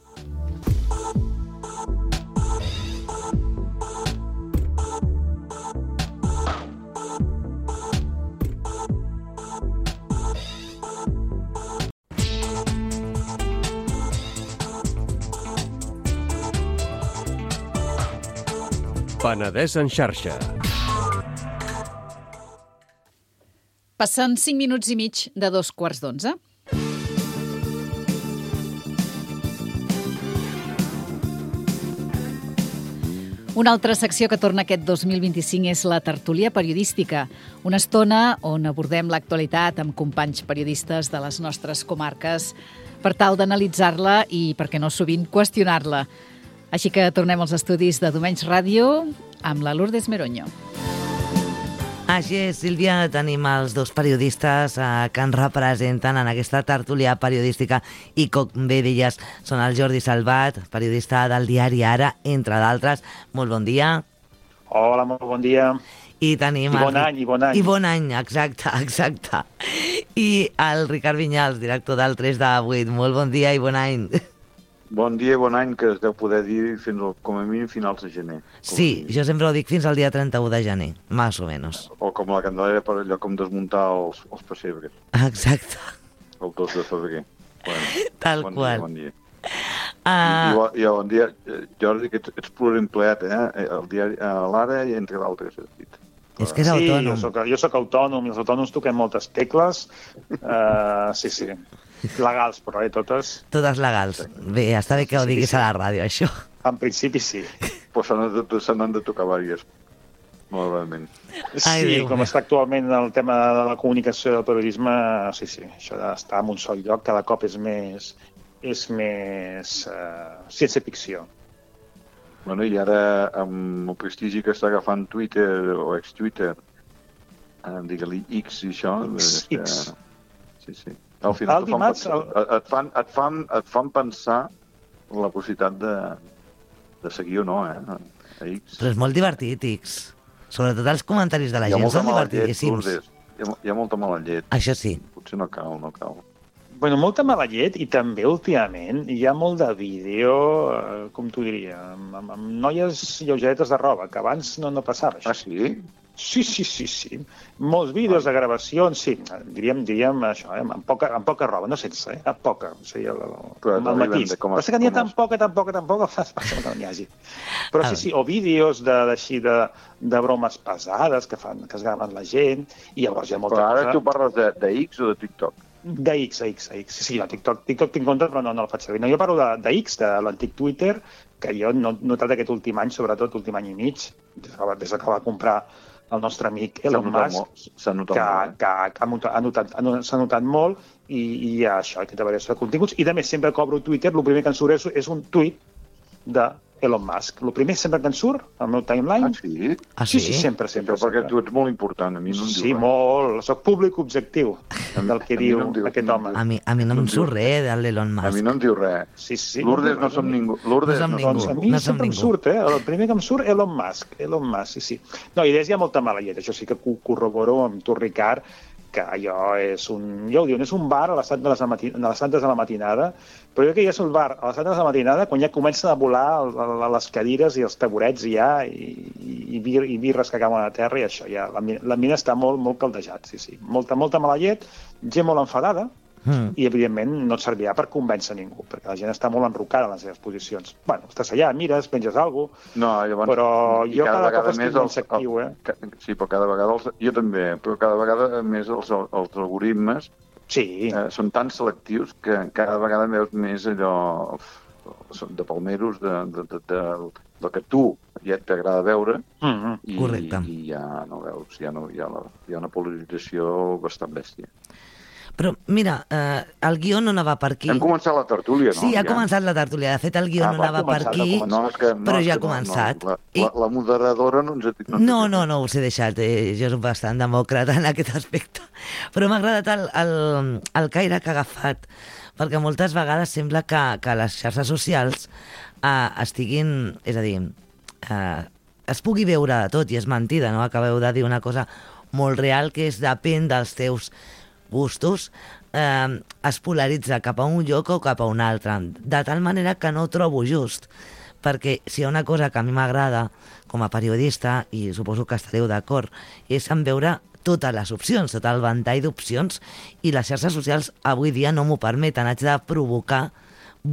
[SPEAKER 9] Penedès en xarxa.
[SPEAKER 4] Passen cinc minuts i mig de dos quarts d'onze. Una altra secció que torna aquest dos mil vint-i-cinc és la tertúlia periodística, una estona on abordem l'actualitat amb companys periodistes de les nostres comarques per tal d'analitzar-la i, per què no sovint, qüestionar-la. Així que tornem als estudis de Domenys Ràdio amb la Lourdes Meroño.
[SPEAKER 11] Així és, Sílvia, tenim els dos periodistes eh, que ens representen en aquesta tertúlia periodística i, com bé deies, són el Jordi Salvat, periodista del diari Ara, entre d'altres. Molt bon dia.
[SPEAKER 12] Hola, molt bon dia.
[SPEAKER 11] I tenim...
[SPEAKER 12] I bon
[SPEAKER 11] el...
[SPEAKER 12] any, i bon any.
[SPEAKER 11] I bon any, exacte, exacte. I el Ricard Vinyals, director del tres de vuit. Molt bon dia i bon any.
[SPEAKER 13] Bon dia i bon any, que es deu poder dir fins al, com a mínim finals de gener.
[SPEAKER 11] Sí, jo sempre ho dic fins al dia trenta-u de gener, més o menys.
[SPEAKER 13] O com la Candelera, per allò com desmuntar els, els pessebres.
[SPEAKER 11] Exacte.
[SPEAKER 13] El dos de febrer. Bueno,
[SPEAKER 11] Tal
[SPEAKER 13] bon
[SPEAKER 11] qual.
[SPEAKER 13] Dia, bon dia.
[SPEAKER 11] Uh...
[SPEAKER 13] I, i, I bon dia, Jordi, que ets, ets pluriempleat, eh? El diari, a l'Ara i entre d'altres, has dit.
[SPEAKER 11] És que és
[SPEAKER 12] sí,
[SPEAKER 11] autònom.
[SPEAKER 12] Jo soc, jo soc autònom i els autònoms toquem moltes tecles. Uh, sí, sí. Legals, però eh, totes.
[SPEAKER 11] Totes legals. Bé, està bé que ho diguis sí, sí. a la ràdio, això.
[SPEAKER 12] En principi sí.
[SPEAKER 13] Però se n'han de, se n'han de tocar diverses, malauradament.
[SPEAKER 12] Sí, Ai, com està actualment el tema de la comunicació del periodisme, sí, sí, això d'estar en un sol lloc cada cop és més, és més uh, ciència-ficció.
[SPEAKER 13] Bueno, i ara, amb el prestigi que està agafant Twitter o ex-Twitter, eh, digue-li X i això...
[SPEAKER 12] X, X.
[SPEAKER 13] Sí, sí. Al final
[SPEAKER 12] el dimarts,
[SPEAKER 13] fan, el... et, fan, et, fan, et fan pensar la possibilitat de, de seguir o no, eh? A X.
[SPEAKER 11] Però és molt divertit, X. Sobretot els comentaris de la gent són divertidíssims.
[SPEAKER 13] Llet, hi, ha, hi ha molta mala llet.
[SPEAKER 11] Això sí.
[SPEAKER 13] Potser no cal, no cal.
[SPEAKER 12] Bueno, molta mala llet i també últimament hi ha molt de vídeo, eh, com t'ho diria, amb, amb, amb noies lleugeretes de roba, que abans no, no passava això.
[SPEAKER 13] Ah, sí?
[SPEAKER 12] Sí, sí, sí, sí. Molts vídeos de gravacions, sí, diríem, diríem això, eh? amb, poca, amb poca roba, no sense, eh? amb poca, o sigui, el, el, el matís. Però és que n'hi ha tan poca, tan poca, tan poca, que no n'hi hagi. Però sí, sí, o vídeos de, de, de, de bromes pesades que, fan, que es graven la gent, i llavors hi ha molta
[SPEAKER 13] cosa... Però ara
[SPEAKER 12] cosa...
[SPEAKER 13] tu parles de, de X o de TikTok?
[SPEAKER 12] De X, de X, de X. Sí, sí, no, TikTok, TikTok tinc compte, però no, no el faig servir. No, jo parlo de, de X, de l'antic Twitter, que jo no he notat aquest últim any, sobretot últim any i mig, des que, des que va comprar el nostre amic Elon Musk,
[SPEAKER 13] s'ha notat
[SPEAKER 12] que,
[SPEAKER 13] molt, eh?
[SPEAKER 12] que, que ha notat, ha notat, s'ha notat molt, i, i hi ha això, aquesta variació de continguts. I, a més, sempre que obro Twitter, el primer que em surt és, és un tuit de Elon Musk. El primer sempre que em surt, al meu timeline...
[SPEAKER 13] Ah, sí?
[SPEAKER 11] Ah,
[SPEAKER 12] sí?
[SPEAKER 11] sí?
[SPEAKER 12] Sí, sí, sempre, sempre.
[SPEAKER 13] Però perquè tu ets molt important, a mi no em diu
[SPEAKER 12] Sí,
[SPEAKER 13] res.
[SPEAKER 12] molt. Soc públic objectiu del que diu,
[SPEAKER 13] no diu
[SPEAKER 12] aquest
[SPEAKER 13] no
[SPEAKER 12] home.
[SPEAKER 11] A mi, a mi no, no em surt res de l'Elon Musk.
[SPEAKER 13] A mi no em diu res.
[SPEAKER 12] Sí, sí.
[SPEAKER 13] Lourdes no som ningú. Lourdes
[SPEAKER 11] no som
[SPEAKER 13] no
[SPEAKER 11] ningú.
[SPEAKER 12] Doncs a mi
[SPEAKER 11] no som
[SPEAKER 12] sempre em
[SPEAKER 11] ningú.
[SPEAKER 12] surt, eh? El primer que em surt, Elon Musk. Elon Musk, sí, sí. No, i des hi ha molta mala llet. Això sí que ho corroboro amb tu, Ricard, que allò és un... Ja ho diuen, és un bar a les tantes de, mati... a les tantes de la matinada, però jo que ja és un bar a les tantes de la matinada quan ja comencen a volar les cadires i els taburets ja, i, i, bir, i birres que cauen a terra, i això ja, la, la mina està molt, molt caldejat, sí, sí. Molta, molta mala llet, gent molt enfadada, Mm. i, evidentment, no et servirà per convèncer ningú, perquè la gent està molt enrocada en les seves posicions. Bueno, estàs allà, mires, penges alguna cosa,
[SPEAKER 13] no, llavors,
[SPEAKER 12] però jo cada, cada cop estic
[SPEAKER 13] més
[SPEAKER 12] més actiu, eh?
[SPEAKER 13] El, sí, però cada vegada, els, jo també, però cada vegada més els, els algoritmes
[SPEAKER 12] sí.
[SPEAKER 13] eh, són tan selectius que cada vegada veus més allò de palmeros de, de, de, de, del que tu ja t'agrada veure,
[SPEAKER 12] mm-hmm.
[SPEAKER 13] i,
[SPEAKER 11] Correcte.
[SPEAKER 13] i ja no veus, ja no, hi, ha la, hi ha una polarització bastant bèstia.
[SPEAKER 11] Però, mira, eh, el guió no anava per aquí.
[SPEAKER 13] Hem començat la tertúlia, no?
[SPEAKER 11] Sí, ha
[SPEAKER 13] ja.
[SPEAKER 11] començat la tertúlia. De fet, el guió
[SPEAKER 13] ah,
[SPEAKER 11] no anava per aquí,
[SPEAKER 13] no, és que, no,
[SPEAKER 11] però
[SPEAKER 13] és
[SPEAKER 11] ja
[SPEAKER 13] que
[SPEAKER 11] ha començat.
[SPEAKER 13] No, no. La, la, la moderadora no ens ha dit...
[SPEAKER 11] No, no, no, no us he deixat. Eh, jo soc bastant demòcrata en aquest aspecte. Però m'ha agradat el, el, el caire que ha agafat, perquè moltes vegades sembla que, que les xarxes socials eh, estiguin... És a dir, eh, es pugui veure de tot, i és mentida, no? Acabeu de dir una cosa molt real, que és depèn dels teus gustos, eh, es polaritza cap a un lloc o cap a un altre, de tal manera que no ho trobo just, perquè si hi ha una cosa que a mi m'agrada com a periodista, i suposo que estareu d'acord, és en veure totes les opcions, tot el ventall d'opcions, i les xarxes socials avui dia no m'ho permeten, haig de provocar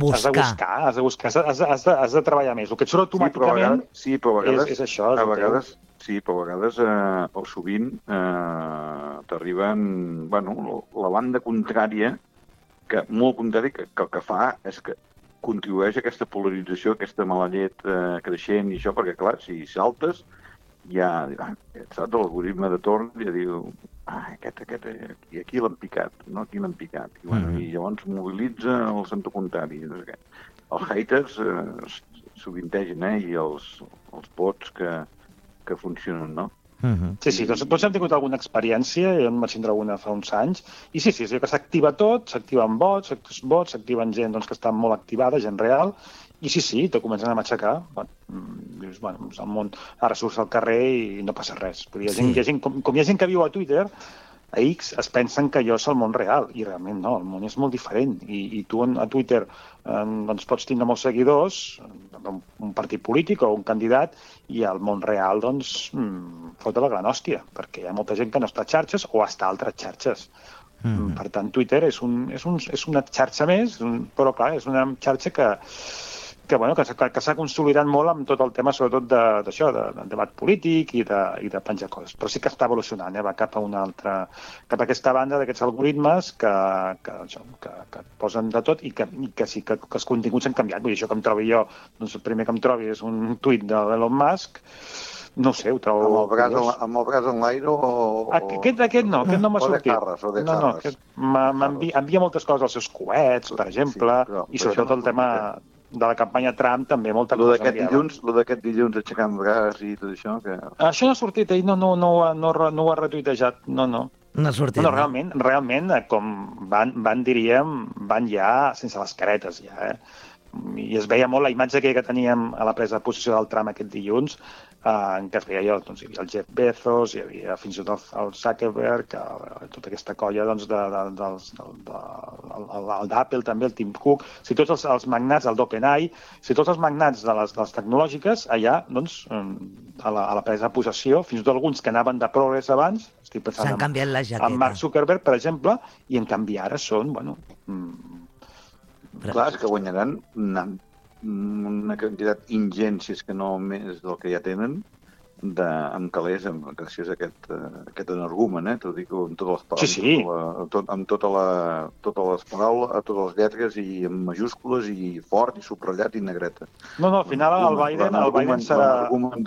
[SPEAKER 11] buscar.
[SPEAKER 12] Has de buscar, has de buscar, has de, has de, has de, has de treballar més. El que et surt automàticament
[SPEAKER 13] sí, però a vegades,
[SPEAKER 12] és, és això. És
[SPEAKER 13] a
[SPEAKER 12] el teu.
[SPEAKER 13] vegades, sí, però a vegades, eh, o sovint, eh, t'arriben, bueno, la banda contrària, que molt contrari, que, que el que fa és que contribueix a aquesta polarització, aquesta mala llet eh, creixent i això, perquè, clar, si saltes, ja, ah, saps, l'algoritme de torn ja diu, ah, aquest, aquest, i aquí l'han picat, no? Aquí l'han picat. I, bueno, mm -hmm. i llavors mobilitza el centre contrari. No sé què. Els haters eh, sovintegen, eh? I els, els bots que, que funcionen, no?
[SPEAKER 12] Mm-hmm. Sí, sí, tots, tots hem tingut alguna experiència, jo en vaig tindre alguna fa uns anys, i sí, sí, és que s'activa tot, s'activen bots, bots s'activen gent doncs, que està molt activada, gent real, i sí, sí, te comencen a matxacar. Bueno, dius, bueno, el món, ara surts al carrer i no passa res. Hi ha gent, sí. hi ha gent, com, com hi ha gent que viu a Twitter, a X, es pensen que allò és el món real, i realment no, el món és molt diferent. I, i tu a Twitter eh, doncs pots tindre molts seguidors, un, un partit polític o un candidat, i al món real, doncs, mmm, fot la gran hòstia, perquè hi ha molta gent que no està a xarxes o està a altres xarxes. Mm. Per tant, Twitter és, un, és, un, és una xarxa més, un, però clar, és una xarxa que que, bueno, que, que s'ha consolidat molt amb tot el tema, sobretot d'això, de, de, de debat polític i de, i de penjar coses. Però sí que està evolucionant, eh? Va cap a una altra, cap a aquesta banda d'aquests algoritmes que, que, això, que, que et posen de tot i que, i que sí que, que els continguts han canviat. Vull dir, això que em trobi jo, doncs el primer que em trobi és un tuit de l'Elon Musk, no ho sé, ho trobo...
[SPEAKER 13] Amb el braç, amb el braç en l'aire o...
[SPEAKER 12] Aquest, aquest no, aquest no m'ha sortit.
[SPEAKER 13] O de carres, o de
[SPEAKER 12] no, no, aquest m'envia envia moltes coses als seus coets, per exemple, sí, però, i sobretot el tema de la campanya Trump també molta
[SPEAKER 13] cosa enviava. Lo d'aquest dilluns aixecant braç i tot això... Que...
[SPEAKER 12] Això no ha sortit, ell no, no, no, no, no ho ha retuitejat, no, no.
[SPEAKER 11] No ha sortit.
[SPEAKER 12] No, realment, realment, com van, van, diríem, van ja sense les caretes, ja, eh? I es veia molt la imatge que teníem a la presa de posició del Trump aquest dilluns, eh, en què es veia allò, doncs hi havia el Jeff Bezos, hi havia fins i tot el Zuckerberg, el, tota aquesta colla doncs, de, de, de, de, de, el d'Apple també, el Tim Cook, si tots els, els magnats, el d'OpenAI, si tots els magnats de les, de les tecnològiques, allà, doncs, a la, a la presa de possessió, fins i tot alguns que anaven de progrés abans, estic pensant
[SPEAKER 11] s'han canviat la jaqueta.
[SPEAKER 12] En Mark Zuckerberg, per exemple, i en canvi ara són, bueno... Mm,
[SPEAKER 13] clar, és que guanyaran una, una quantitat ingent, si és que no més del que ja tenen, de, amb calés, amb, gràcies a aquest, uh, aquest energumen, eh? T'ho dic amb totes les paraules,
[SPEAKER 12] sí, sí.
[SPEAKER 13] Tota la, tot, amb tota la, totes les paraules, a totes les lletres i amb majúscules i fort i subratllat i negreta.
[SPEAKER 12] No, no, al final el Biden, el Biden serà...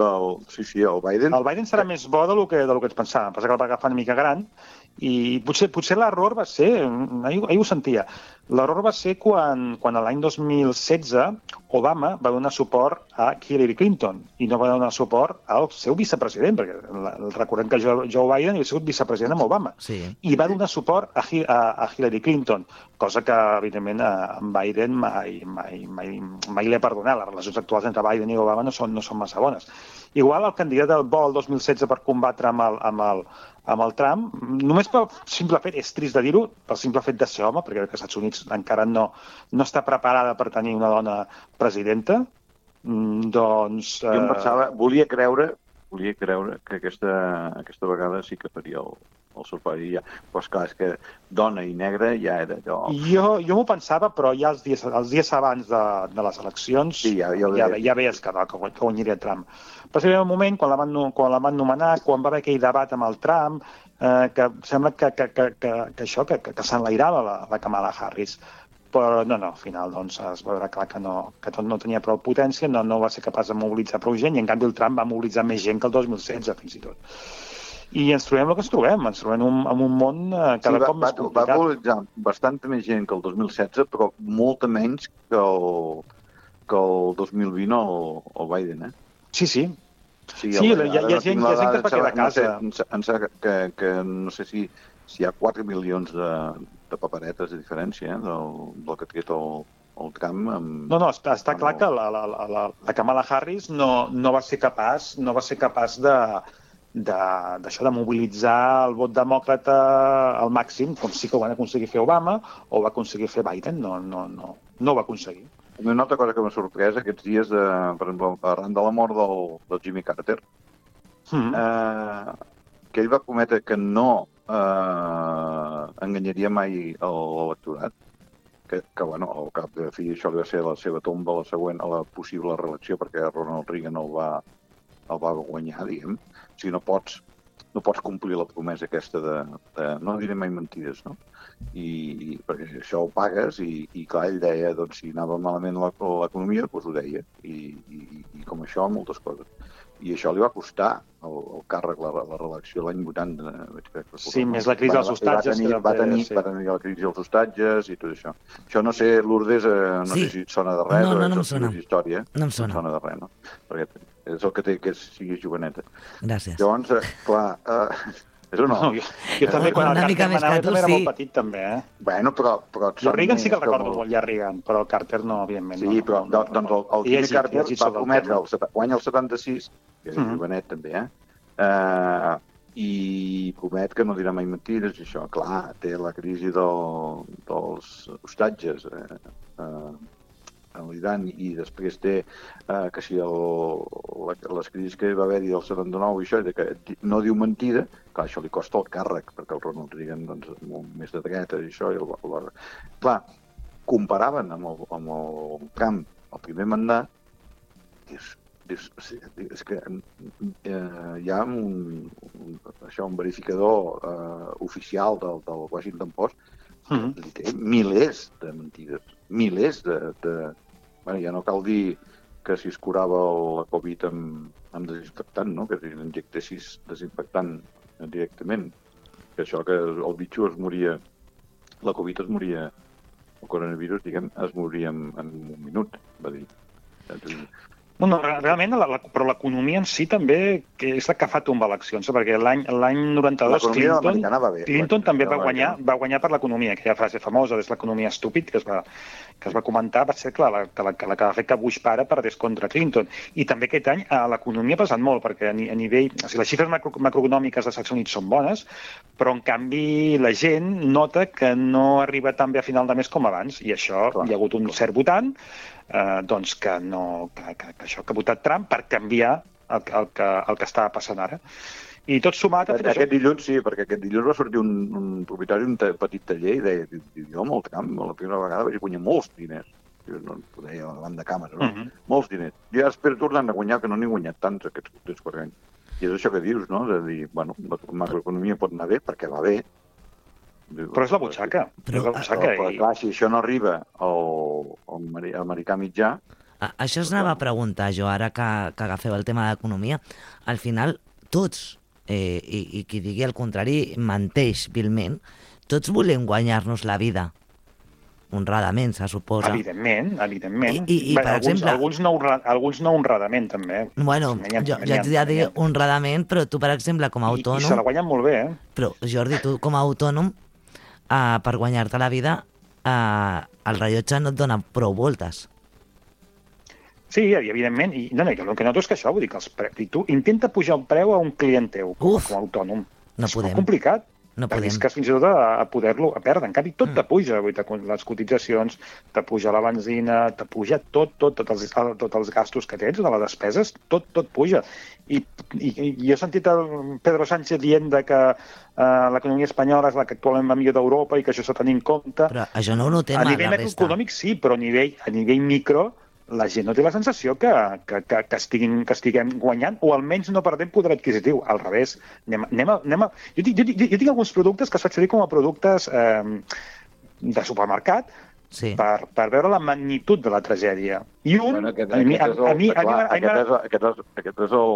[SPEAKER 13] Del... Sí, sí, el Biden...
[SPEAKER 12] El Biden serà més bo del que, del que ens pensàvem, passa que el va agafar una mica gran i potser, potser l'error va ser, ahir, ahir ho sentia, l'error va ser quan, quan l'any dos mil setze Obama va donar suport a Hillary Clinton i no va donar suport al seu vicepresident, perquè recordem que Joe Biden havia sigut vicepresident amb Obama,
[SPEAKER 11] sí.
[SPEAKER 12] I va donar suport a, a, a Hillary Clinton, cosa que, evidentment, a Biden mai, mai, mai, mai li ha perdonat. Les relacions actuals entre Biden i Obama no són, no són massa bones. Igual el candidat del bo el dos mil setze per combatre amb el, amb el, amb el Trump, només pel simple fet, és trist de dir-ho, pel simple fet de ser home, perquè els Estats Units encara no, no està preparada per tenir una dona presidenta, doncs...
[SPEAKER 13] Jo em pensava, volia creure, volia creure que aquesta, aquesta vegada sí que faria el, el surpari ja. Però esclar, és que dona i negra ja era allò...
[SPEAKER 12] Jo, jo m'ho pensava, però ja els dies, els dies abans de, de les eleccions sí, ja, ja, ja, ja veies que, no, que, que guanyaria Trump. Però sí, un moment, quan la, van, quan la van nomenar, quan va haver aquell debat amb el Trump, eh, que sembla que, que, que, que, que això, que, que, que s'enlairava la, la Kamala Harris. Però no, no, al final doncs, es va veure clar que, no, que tot no tenia prou potència, no, no va ser capaç de mobilitzar prou gent, i en canvi el Trump va mobilitzar més gent que el dos mil setze, fins i tot. I ens trobem el que ens trobem, ens trobem en un, en un món eh, cada sí, cop més complicat.
[SPEAKER 13] Va mobilitzar bastanta més gent que el dos mil setze, però molta menys que el, que el dos mil vint el, el Biden, eh?
[SPEAKER 12] Sí, sí.
[SPEAKER 13] Sí,
[SPEAKER 12] sí el, hi, ha, hi, ha gent, hi ha gent que es va quedar a casa.
[SPEAKER 13] No sé, em sembla que, que no sé si, si hi ha quatre milions de, de paperetes de diferència eh, del, del que ha tret el, el Trump. Amb...
[SPEAKER 12] No, no, està, està clar que la, la, la, la Kamala Harris no, no va ser capaç, no va ser capaç de, de, d'això, de mobilitzar el vot demòcrata al màxim, com sí que ho van aconseguir fer Obama o va aconseguir fer Biden, no, no, no, no ho va aconseguir.
[SPEAKER 13] Una altra cosa que m'ha sorprès aquests dies, de, per exemple, arran de la mort del, del Jimmy Carter, mm. eh, que ell va prometre que no eh, enganyaria mai l'electorat. que, que bueno, al cap de fi això li va ser la seva tomba, la següent, a la possible reelecció, perquè Ronald Reagan el va, el va guanyar, diguem. O sigui, no pots, no pots complir la promesa aquesta de, de no diré mai mentides, no? I, i perquè això ho pagues i, i clar, ell deia, doncs, si anava malament l'economia, doncs ho deia. I, i, i com això, moltes coses. I això li va costar el, el càrrec, la, la reelecció l'any vuitanta. Veig que,
[SPEAKER 12] sí, més la crisi dels hostatges.
[SPEAKER 13] Va tenir,
[SPEAKER 12] que
[SPEAKER 13] va, tenir,
[SPEAKER 12] sí.
[SPEAKER 13] va tenir la crisi dels hostatges i tot això. Això no sé, Lourdes, eh, no
[SPEAKER 11] sí.
[SPEAKER 13] sé si et sona de res,
[SPEAKER 11] no, no, no
[SPEAKER 13] o
[SPEAKER 11] em sona.
[SPEAKER 13] és història.
[SPEAKER 11] No em sona.
[SPEAKER 13] No em sona de res, no? Perquè és el que té que sigui joveneta.
[SPEAKER 11] Gràcies.
[SPEAKER 13] Llavors, eh, clar, eh, és o no?
[SPEAKER 12] no jo, jo també, quan
[SPEAKER 11] una
[SPEAKER 12] el
[SPEAKER 11] mica
[SPEAKER 12] Carter
[SPEAKER 11] més
[SPEAKER 12] manava,
[SPEAKER 11] que tu,
[SPEAKER 12] també era
[SPEAKER 11] sí.
[SPEAKER 12] molt petit, també, eh?
[SPEAKER 13] Bueno, però... però
[SPEAKER 12] Jo Reagan sí que el recordo
[SPEAKER 13] molt...
[SPEAKER 12] molt, ja Reagan, però el Carter no, evidentment.
[SPEAKER 13] Sí,
[SPEAKER 12] no,
[SPEAKER 13] però
[SPEAKER 12] no, no,
[SPEAKER 13] doncs el, el
[SPEAKER 12] I
[SPEAKER 13] Jimmy
[SPEAKER 12] llegit,
[SPEAKER 13] Carter
[SPEAKER 12] llegit
[SPEAKER 13] va
[SPEAKER 12] sobre el
[SPEAKER 13] prometre,
[SPEAKER 12] tema.
[SPEAKER 13] el, seta- guanya el setanta-sis, que era
[SPEAKER 12] Mhm.
[SPEAKER 13] jovenet també, eh? Uh, i promet que no dirà mai mentides, i això, clar, té la crisi del, dels hostatges eh, eh, a l'Iran, i després té eh, que si el, la, les crisis que va haver-hi del setanta-nou i això, de que no diu mentida, clar, això li costa el càrrec, perquè el Ronald Reagan, doncs, molt més de dreta i això, i el, el, clar, comparaven amb el, amb el Trump el primer mandat, i és És, és que eh, hi ha un, un, això, un verificador eh, oficial del, del Washington Post que
[SPEAKER 12] Mhm.
[SPEAKER 13] li té milers de mentides, milers de... de... Bueno, ja no cal dir que si es curava la Covid amb, amb desinfectant, no? Que si injectessis desinfectant directament, que això que el bitxo es moria, la Covid es moria, el coronavirus, diguem, es moria en, en un minut, va dir.
[SPEAKER 12] No, no, re- realment, la, la, però l'economia en si també que és la que fa tombar eleccions, perquè l'any l'any noranta-dos
[SPEAKER 13] L'economia
[SPEAKER 12] Clinton,
[SPEAKER 13] americana va bé.
[SPEAKER 12] Clinton també va
[SPEAKER 13] L'americana.
[SPEAKER 12] guanyar, va guanyar per l'economia, aquella frase famosa, és l'economia estúpid, que es va, que es va comentar, va ser clar, la, que la, que la que va fer que Bush pare perdés contra Clinton. I també aquest any eh, l'economia ha passat molt, perquè a, ni- a nivell... O sigui, les xifres macro, macroeconòmiques dels Estats Units són bones, però en canvi la gent nota que no arriba tan bé a final de mes com abans, i això
[SPEAKER 13] Clar,
[SPEAKER 12] hi ha hagut un cert votant eh, doncs que, no, que, que, que això que ha votat Trump per canviar el, el, que, el que estava passant ara. I tot sumat... Ha fet
[SPEAKER 13] Aquest
[SPEAKER 12] això.
[SPEAKER 13] dilluns, sí, perquè aquest dilluns va sortir un, un propietari d'un ta- petit taller i deia, jo amb el camp, la primera vegada vaig guanyar molts diners. Jo no ho deia davant de càmera, no?
[SPEAKER 12] Mhm.
[SPEAKER 13] Molts diners. I ara espero tornar a guanyar, que no n'he guanyat tants aquests, aquests quatre anys. I és això que dius, no? De dir, bueno, la macroeconomia pot anar bé perquè va bé.
[SPEAKER 12] Però és la butxaca.
[SPEAKER 11] Però-
[SPEAKER 12] és la butxaca.
[SPEAKER 13] Però, però
[SPEAKER 12] i...
[SPEAKER 13] clar, si això no arriba al, al ameri- americà mitjà,
[SPEAKER 11] A- Això es anava a preguntar jo, ara que, que agafeu el tema d'economia. Al final, tots, eh, i, i qui digui el contrari, menteix vilment, tots volem guanyar-nos la vida. Honradament, se suposa.
[SPEAKER 12] Evidentment, evidentment.
[SPEAKER 11] I- i- i,
[SPEAKER 12] Bé,
[SPEAKER 11] per
[SPEAKER 12] alguns,
[SPEAKER 11] exemple-
[SPEAKER 12] alguns, no, honra- alguns no honradament, també.
[SPEAKER 11] Bueno,
[SPEAKER 12] N'hi ha-
[SPEAKER 11] jo,
[SPEAKER 12] n'hi
[SPEAKER 11] jo
[SPEAKER 12] ha-
[SPEAKER 11] et diria
[SPEAKER 12] n'hi ha.
[SPEAKER 11] dir honradament, però tu, per exemple, com a
[SPEAKER 12] I, I se la
[SPEAKER 11] autònom...
[SPEAKER 12] guanyen molt bé, eh?
[SPEAKER 11] Però, Jordi, tu com a autònom, eh, per guanyar-te la vida, eh, el rellotge no et dona prou voltes.
[SPEAKER 12] Sí, i evidentment. I, no, no, jo el que noto és que això, vull dir que els pre... i tu intenta pujar el preu a un client teu, com,
[SPEAKER 11] Uf.
[SPEAKER 12] com a autònom.
[SPEAKER 11] No
[SPEAKER 12] és
[SPEAKER 11] podem.
[SPEAKER 12] molt complicat.
[SPEAKER 11] No podem.
[SPEAKER 12] Arrisques fins i tot a, a poder-lo a perdre. En canvi, tot mm. te puja. Vull dir, te- les cotitzacions, te puja la benzina, te puja tot, tot, tots els, tots els gastos que tens, de les despeses, tot, tot puja. I, i, i jo he sentit el Pedro Sánchez dient de que uh, l'economia espanyola és la que actualment va millor d'Europa i que això s'ha de tenir en compte.
[SPEAKER 11] Però això no ho notem
[SPEAKER 12] A
[SPEAKER 11] a
[SPEAKER 12] nivell
[SPEAKER 11] la resta.
[SPEAKER 12] macroeconòmic sí, però a nivell, a nivell micro la gent no té la sensació que, que, que, que, estiguin, que estiguem guanyant o almenys no perdem poder adquisitiu. Al revés. Anem, a- anem, a, anem a... jo, tinc, jo, tinc, jo tinc alguns productes que es faig servir com a productes eh, de supermercat
[SPEAKER 11] Sí.
[SPEAKER 12] per, per veure la magnitud de la tragèdia. I un...
[SPEAKER 13] bueno, aquest,
[SPEAKER 12] a mi, a,
[SPEAKER 13] aquest, és el,
[SPEAKER 12] a mi, a mi,
[SPEAKER 13] clar,
[SPEAKER 12] a mi,
[SPEAKER 13] aquest, és, aquest, és, aquest és el,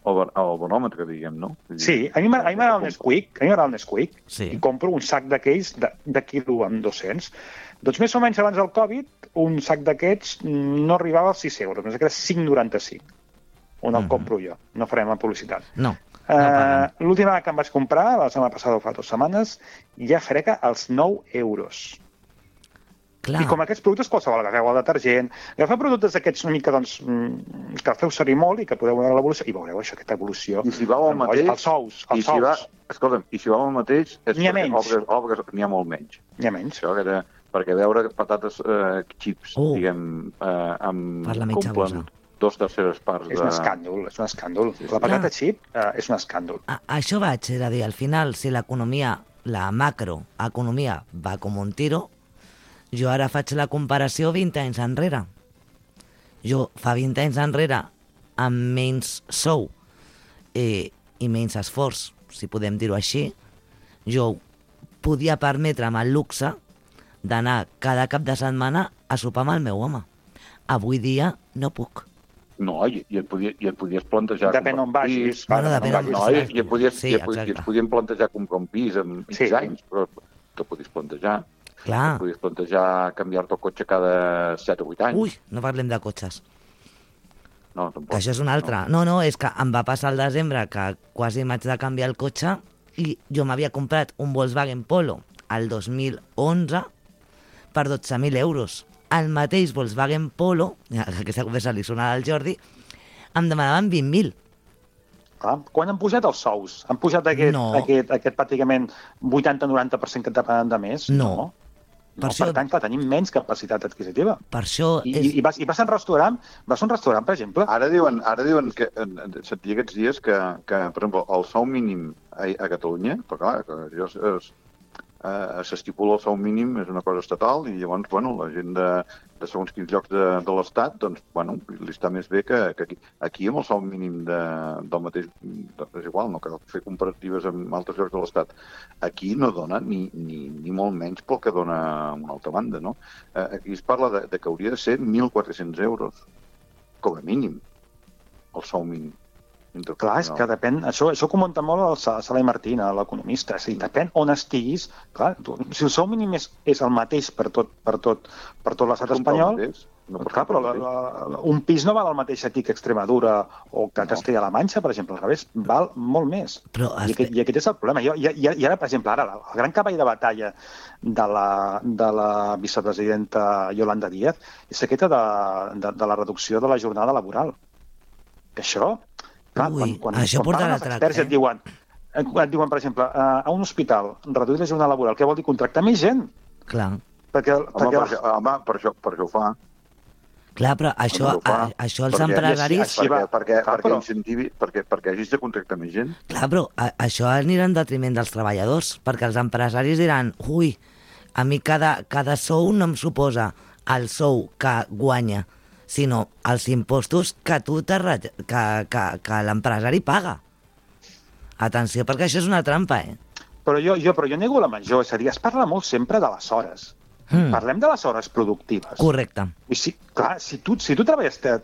[SPEAKER 13] el, bar- el bonòmetre, diguem, no? Vull dir,
[SPEAKER 12] sí, a mi m'agrada a mi m'agrada el Nesquik, a mi m'agrada el Nesquik,
[SPEAKER 11] Sí.
[SPEAKER 12] i compro un sac d'aquells de, de quilo amb dos-cents. Doncs més o menys abans del Covid, un sac d'aquests no arribava als sis euros, només que era cinc coma noranta-cinc, on el
[SPEAKER 11] Mhm.
[SPEAKER 12] compro jo, no farem la publicitat.
[SPEAKER 11] No.
[SPEAKER 12] Uh, L'última que em vaig comprar, la setmana passada o fa dues setmanes, ja frega als nou euros.
[SPEAKER 11] Clar.
[SPEAKER 12] I com aquests productes, qualsevol, agafeu el detergent, agafeu productes d'aquests una mica, doncs, mm, que feu servir molt i que podeu veure l'evolució, i veureu això, aquesta evolució.
[SPEAKER 13] I si vau al mateix...
[SPEAKER 12] Els ous,
[SPEAKER 13] i
[SPEAKER 12] els
[SPEAKER 13] si va,
[SPEAKER 12] ous,
[SPEAKER 13] escolta'm, i si vau al mateix... És
[SPEAKER 12] N'hi ha
[SPEAKER 13] perquè
[SPEAKER 12] menys.
[SPEAKER 13] Obres, obres, n'hi ha molt menys.
[SPEAKER 12] n'hi ha menys.
[SPEAKER 13] Això que era, perquè veure patates eh, xips,
[SPEAKER 11] Oh.
[SPEAKER 13] diguem, eh, amb...
[SPEAKER 11] Per la mitja
[SPEAKER 13] complen
[SPEAKER 11] bossa.
[SPEAKER 13] dos terceres parts
[SPEAKER 12] És
[SPEAKER 13] de...
[SPEAKER 12] un escàndol, és un escàndol.
[SPEAKER 13] Sí, sí.
[SPEAKER 12] La patata xip eh, és un escàndol.
[SPEAKER 11] A, això vaig a dir, al final, si l'economia, la macroeconomia va com un tiro, jo ara faig la comparació vint anys enrere. Jo fa vint anys enrere, amb menys sou eh, i menys esforç, si podem dir-ho així, jo podia permetre'm el luxe d'anar cada cap de setmana a sopar amb el meu home. Avui dia no puc.
[SPEAKER 13] No, i, i, et podia, i et podies plantejar...
[SPEAKER 12] Depèn on vagis.
[SPEAKER 11] Bueno, depèn on
[SPEAKER 13] No,
[SPEAKER 11] vagis.
[SPEAKER 13] i, i, et podies,
[SPEAKER 11] Sí,
[SPEAKER 13] i, et, i
[SPEAKER 11] exacte.
[SPEAKER 13] et podien plantejar comprar un pis en X
[SPEAKER 12] Sí.
[SPEAKER 13] anys, però te podies plantejar.
[SPEAKER 11] Clar.
[SPEAKER 13] Et podies plantejar canviar-te el cotxe cada set o vuit anys.
[SPEAKER 11] Ui, no parlem de cotxes.
[SPEAKER 13] No, tampoc.
[SPEAKER 11] Que això és una altra. No, no, és que em va passar al desembre que quasi m'haig de canviar el cotxe i jo m'havia comprat un Volkswagen Polo al dos mil onze per dotze mil euros. El mateix Volkswagen Polo, aquesta conversa li sona al Jordi, em demanaven vint mil.
[SPEAKER 12] Clar, quan han pujat els sous? Han pujat aquest,
[SPEAKER 11] No.
[SPEAKER 12] aquest, aquest pràcticament vuitanta noranta per cent que et demanen de més?
[SPEAKER 11] No.
[SPEAKER 12] No,
[SPEAKER 11] Per
[SPEAKER 12] per,
[SPEAKER 11] això-
[SPEAKER 12] per tant, clar, tenim menys capacitat adquisitiva.
[SPEAKER 11] Per això
[SPEAKER 12] I,
[SPEAKER 11] és...
[SPEAKER 12] i, i, vas, I vas a un restaurant, vas a un restaurant, per exemple,
[SPEAKER 13] Ara diuen, ara diuen que, en- en- sentia aquests dies que, que per exemple, el sou mínim a, a Catalunya, però clar, que allò es, es, eh, s'estipula el sou mínim, és una cosa estatal, i llavors, bueno, la gent de, de segons quins llocs de, de l'Estat, doncs, bueno, li està més bé que, que aquí. Aquí, amb el sou mínim de, del mateix... De, és igual, no cal fer comparatives amb altres llocs de l'Estat. Aquí no dona ni, ni, ni molt menys pel que dona a una altra banda, no? Eh, aquí es parla de, de que hauria de ser mil quatre-cents euros, com a mínim, el sou mínim.
[SPEAKER 12] clar, és que depèn, això, això comenta molt el Sa- Salai Martín, l'economista, és a dir, depèn on estiguis, clar, tu, si el sou mínim és, és el mateix per tot, per tot, per tot l'estat espanyol,
[SPEAKER 13] No,
[SPEAKER 12] clar, però la, la, un pis no val el mateix aquí que Extremadura o que Castella-La Manxa, per exemple, al revés, val molt més.
[SPEAKER 11] Però
[SPEAKER 12] I, aquest, I aquest és el problema. I, i, i i ara, per exemple, ara, el gran cavall de batalla de la, de la vicepresidenta Yolanda Díaz és aquesta de, de, de la reducció de la jornada laboral. Que això, clar,
[SPEAKER 11] Ui,
[SPEAKER 12] quan, quan,
[SPEAKER 11] això
[SPEAKER 12] quan
[SPEAKER 11] portarà
[SPEAKER 12] parlen els
[SPEAKER 11] trac,
[SPEAKER 12] experts i
[SPEAKER 11] eh?
[SPEAKER 12] et diuen, et diuen, per exemple, a, a un hospital, reduir la jornada laboral, què vol dir? Contractar més gent.
[SPEAKER 11] Clar.
[SPEAKER 12] Perquè,
[SPEAKER 13] Home,
[SPEAKER 12] perquè
[SPEAKER 13] per, això, home per, això, per això ho fa.
[SPEAKER 11] Clar, però això,
[SPEAKER 13] Home, ho fa.
[SPEAKER 11] a, això els
[SPEAKER 13] Perquè-
[SPEAKER 11] empresaris...
[SPEAKER 13] Perquè, perquè,
[SPEAKER 12] Clar,
[SPEAKER 13] perquè,
[SPEAKER 12] però-
[SPEAKER 13] incentivi, perquè, perquè hagis de contractar més gent.
[SPEAKER 11] Clar, però a, això anirà en detriment dels treballadors, perquè els empresaris diran, ui, a mi cada, cada sou no em suposa el sou que guanya, sinó els impostos que tu te re- que, que, que l'empresari paga. Atenció, perquè això és una trampa, eh?
[SPEAKER 12] Però jo, jo, però jo nego la major, és a dir, es parla molt sempre de les hores.
[SPEAKER 11] Mm.
[SPEAKER 12] Parlem de les hores productives.
[SPEAKER 11] Correcte.
[SPEAKER 12] I si, clar, si tu, si tu treballes te-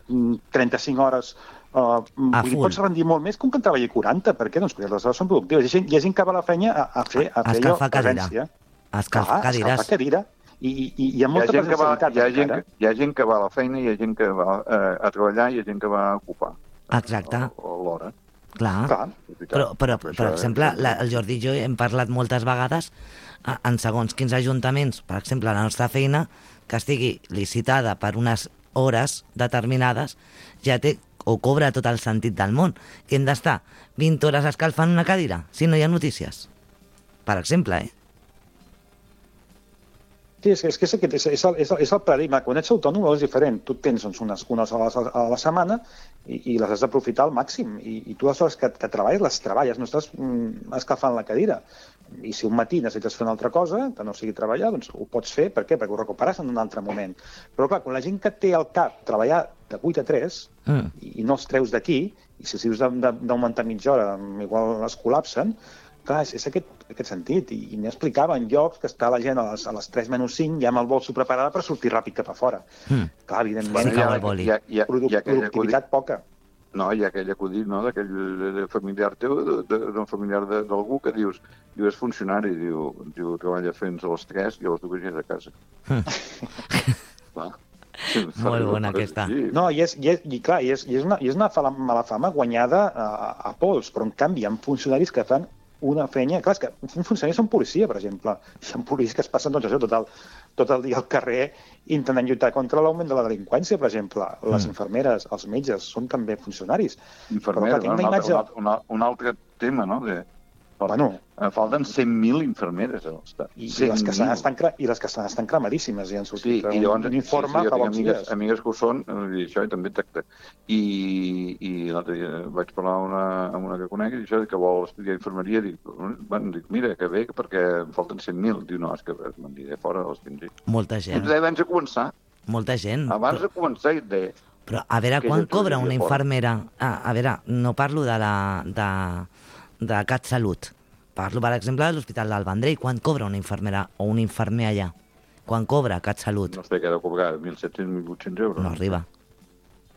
[SPEAKER 12] trenta-cinc hores, uh, vull dir,
[SPEAKER 11] full.
[SPEAKER 12] pots rendir molt més que un que en treballi quaranta. Per què? Doncs perquè les hores són productives. Hi ha gent, hi ha gent que va a la feina a, a fer, a
[SPEAKER 11] A
[SPEAKER 12] fer allò,
[SPEAKER 11] escalfar cadira.
[SPEAKER 12] presència.
[SPEAKER 11] Escalfar
[SPEAKER 12] Clar,
[SPEAKER 11] cadires.
[SPEAKER 12] escalfar cadira. I, i, i hi ha
[SPEAKER 13] Hi ha,
[SPEAKER 12] molta
[SPEAKER 13] gent que va,
[SPEAKER 12] presencialitat
[SPEAKER 13] hi, ha gent,
[SPEAKER 12] encara.
[SPEAKER 13] que- hi ha gent que va a la feina, hi ha gent que va eh, a treballar, i hi ha gent que va a ocupar
[SPEAKER 11] Exacte.
[SPEAKER 13] a, a l'hora.
[SPEAKER 11] Clar.
[SPEAKER 12] Clar.
[SPEAKER 11] Però, però,
[SPEAKER 13] Per
[SPEAKER 11] per
[SPEAKER 13] això,
[SPEAKER 11] exemple,
[SPEAKER 13] eh,
[SPEAKER 11] la, el Jordi i jo hem parlat moltes vegades a- en segons quins ajuntaments, per exemple, la nostra feina, que estigui licitada per unes hores determinades, ja té o cobra tot el sentit del món, que hem d'estar vint hores escalfant una cadira, si no hi ha notícies. Per exemple, eh?
[SPEAKER 12] Sí, és, és que és, aquest, és, és, el, és, el, és el paradigma. Quan ets autònom és diferent. Tu tens doncs, unes, unes hores a la, a la setmana i, i les has d'aprofitar al màxim. I, I tu les hores que, que treballes, les treballes, no estàs mm, escalfant la cadira. I si un matí necessites fer una altra cosa, que no sigui treballar, doncs ho pots fer. Per què? Perquè ho recuperes en un altre moment. Però clar, quan la gent que té al cap treballar de vuit a tres
[SPEAKER 11] Mm.
[SPEAKER 12] i, i no els treus d'aquí, i si els dius de- de- d'augmentar mitja hora, igual es col·lapsen, clar, és, és aquest, aquest sentit. I, i m'explicava en llocs que està la gent a les, a les tres menys cinc ja amb el bolso preparada per sortir ràpid cap a fora.
[SPEAKER 11] Mm.
[SPEAKER 12] Clar, evidentment,
[SPEAKER 11] Sí, cau el boli.
[SPEAKER 13] hi ha, hi ha,
[SPEAKER 12] produ
[SPEAKER 13] hi ha aquell acudit,
[SPEAKER 12] productivitat poca.
[SPEAKER 13] no, hi ha aquell acudit, no, d'aquell de- familiar teu, de- de- d'un familiar de- d'algú que dius, diu, és funcionari, diu, diu treballa fins a les tres i a les dues ja és a casa. Clar. Sí,
[SPEAKER 11] Molt bona aquesta.
[SPEAKER 13] Sí.
[SPEAKER 12] No, i és, i és, i clar, i és, i és, una, i és una fala, mala fama guanyada a, a pols, però en canvi hi ha funcionaris que fan una feina... Clar, és que un funcionari és un policia, per exemple. Hi ha policies que es passen doncs, això, tot, el, tot el dia al carrer intentant lluitar contra l'augment de la delinqüència, per exemple. Les
[SPEAKER 11] Mm.
[SPEAKER 12] infermeres, els metges, són també funcionaris.
[SPEAKER 13] Infermera,
[SPEAKER 12] Però, clar, tinc
[SPEAKER 13] no?
[SPEAKER 12] una
[SPEAKER 13] un, altre,
[SPEAKER 12] imatge-
[SPEAKER 13] un, altre, un altre tema, no? De,
[SPEAKER 12] Bueno,
[SPEAKER 13] em falten cent mil infermeres a l'estat.
[SPEAKER 12] I, i, les que estan, estan, cre- i les que estan, estan cremadíssimes i han sortit
[SPEAKER 13] Sí, i llavors,
[SPEAKER 12] un informe
[SPEAKER 13] sí, sí, jo
[SPEAKER 12] fa
[SPEAKER 13] tinc
[SPEAKER 12] pocs
[SPEAKER 13] amigues,
[SPEAKER 12] dies.
[SPEAKER 13] amigues que ho són, i això, i també tracta. I, i l'altre dia vaig parlar amb una, amb una que conec, i això, que vol estudiar infermeria, dic, bueno, dic, mira, que bé, perquè em falten cent mil. Diu, no, és que me'n diré fora, els tindré.
[SPEAKER 11] Molta gent.
[SPEAKER 13] Doncs abans de començar,
[SPEAKER 11] Molta gent.
[SPEAKER 13] abans de començar, et deia,
[SPEAKER 11] Però a veure,
[SPEAKER 13] Que
[SPEAKER 11] quan
[SPEAKER 13] jo
[SPEAKER 11] cobra
[SPEAKER 13] trobaria
[SPEAKER 11] una
[SPEAKER 13] fora.
[SPEAKER 11] infermera... Ah, a veure, no parlo de la de, de CatSalut. Parlo, per exemple, de l'Hospital del Vendrell. Quan cobra una infermera o un infermer allà? Quan cobra CatSalut?
[SPEAKER 13] no sé què ha de cobrar, mil set-cents, mil vuit-cents euros.
[SPEAKER 11] No arriba.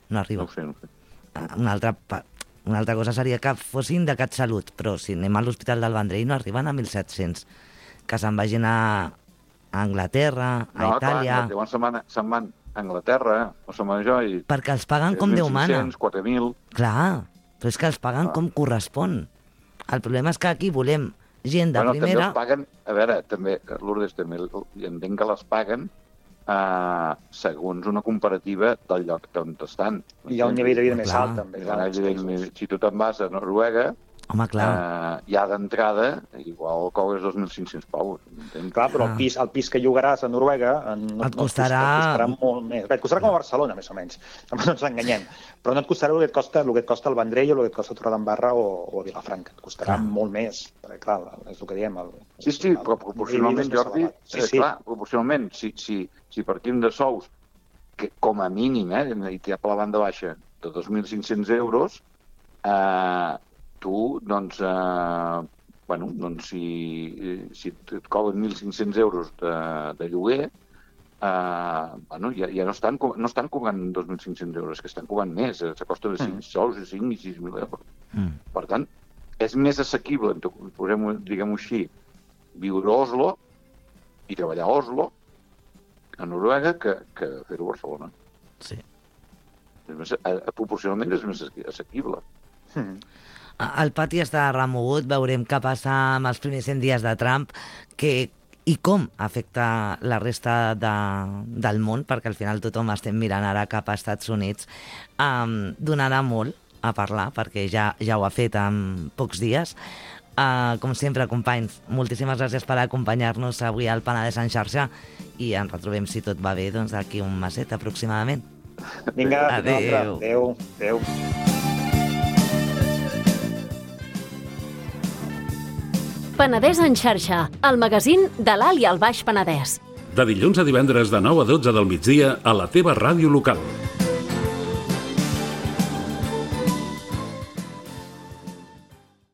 [SPEAKER 11] No arriba.
[SPEAKER 13] No ho sé, no ho sé.
[SPEAKER 11] Ah, Una altra, pa- una altra cosa seria que fossin de CatSalut, però si anem a l'Hospital del Vendrell no arriben a mil set-cents. Que se'n vagin a a Anglaterra, a
[SPEAKER 13] No,
[SPEAKER 11] Itàlia...
[SPEAKER 13] clar, llavors se'n van, se'n van a Anglaterra, o se'n van a això, i...
[SPEAKER 11] Perquè els paguen com Déu mana.
[SPEAKER 13] tres mil cinc-cents, quatre mil...
[SPEAKER 11] Clar, però és que els paguen com correspon. El problema és que aquí volem gent de
[SPEAKER 13] bueno,
[SPEAKER 11] primera...
[SPEAKER 13] també els paguen, a veure, també, Lourdes, també i entenc que les paguen eh, segons una comparativa del lloc on estan.
[SPEAKER 12] I hi ha un nivell de vida més
[SPEAKER 11] Clar.
[SPEAKER 12] alt, també.
[SPEAKER 13] Hi ha un nivell més- Si tu te'n vas a Noruega,
[SPEAKER 11] Home, clar.
[SPEAKER 13] eh, ja d'entrada, igual cobres dos mil cinc-cents paus. M'entens?
[SPEAKER 12] Clar, però el
[SPEAKER 11] Ah.
[SPEAKER 12] pis, el pis que llogaràs a Noruega en, no,
[SPEAKER 11] Et
[SPEAKER 12] no
[SPEAKER 11] costarà-
[SPEAKER 12] et costarà molt més. Bé, et costarà com a Barcelona, més o menys. No ens enganyem. Però no et costarà el que et costa, el que et costa el Vendrell o el que et costa Torredembarra o, o a Vilafranca. Et costarà
[SPEAKER 11] Clar.
[SPEAKER 12] molt més. Perquè, clar, és el que diem. El,
[SPEAKER 13] Sí, sí, però proporcionalment,
[SPEAKER 12] el-
[SPEAKER 13] Jordi,
[SPEAKER 12] Sí,
[SPEAKER 13] eh,
[SPEAKER 12] sí.
[SPEAKER 13] clar, proporcionalment, si, si, si partim de sous, que com a mínim, eh, i ja per la banda baixa, de dos mil cinc-cents euros, eh, tu, doncs, eh, bueno, doncs si, si et cobren mil cinc-cents euros de, de lloguer, eh, bueno, ja, ja no, estan, co- no estan cobrant dos mil cinc-cents euros, que estan cobrant més, eh, s'acosta de cinc sous, de cinc i sis mil euros.
[SPEAKER 11] Mm.
[SPEAKER 13] Per tant, és més assequible, posem-ho, diguem-ho així, viure a Oslo i treballar a Oslo, a Noruega, que, que fer-ho a Barcelona.
[SPEAKER 11] Sí.
[SPEAKER 13] És més, a, a, proporcionalment és més assequible.
[SPEAKER 12] Mm.
[SPEAKER 11] El pati està remogut, veurem què passa amb els primers cent dies de Trump que, i com afecta la resta de, del món, perquè al final tothom estem mirant ara cap a Estats Units. Um, donarà molt a parlar, perquè ja, ja ho ha fet en pocs dies. Uh, com sempre, companys, moltíssimes gràcies per acompanyar-nos avui al Penedès en xarxa i ens retrobem, si tot va bé, doncs d'aquí un meset aproximadament.
[SPEAKER 12] Vinga,
[SPEAKER 11] Adéu.
[SPEAKER 12] Adéu. Adéu.
[SPEAKER 9] Penedès en xarxa, el magazín de l'Alt i el Baix Penedès.
[SPEAKER 14] De dilluns a divendres de nou a dotze del migdia a la teva ràdio local.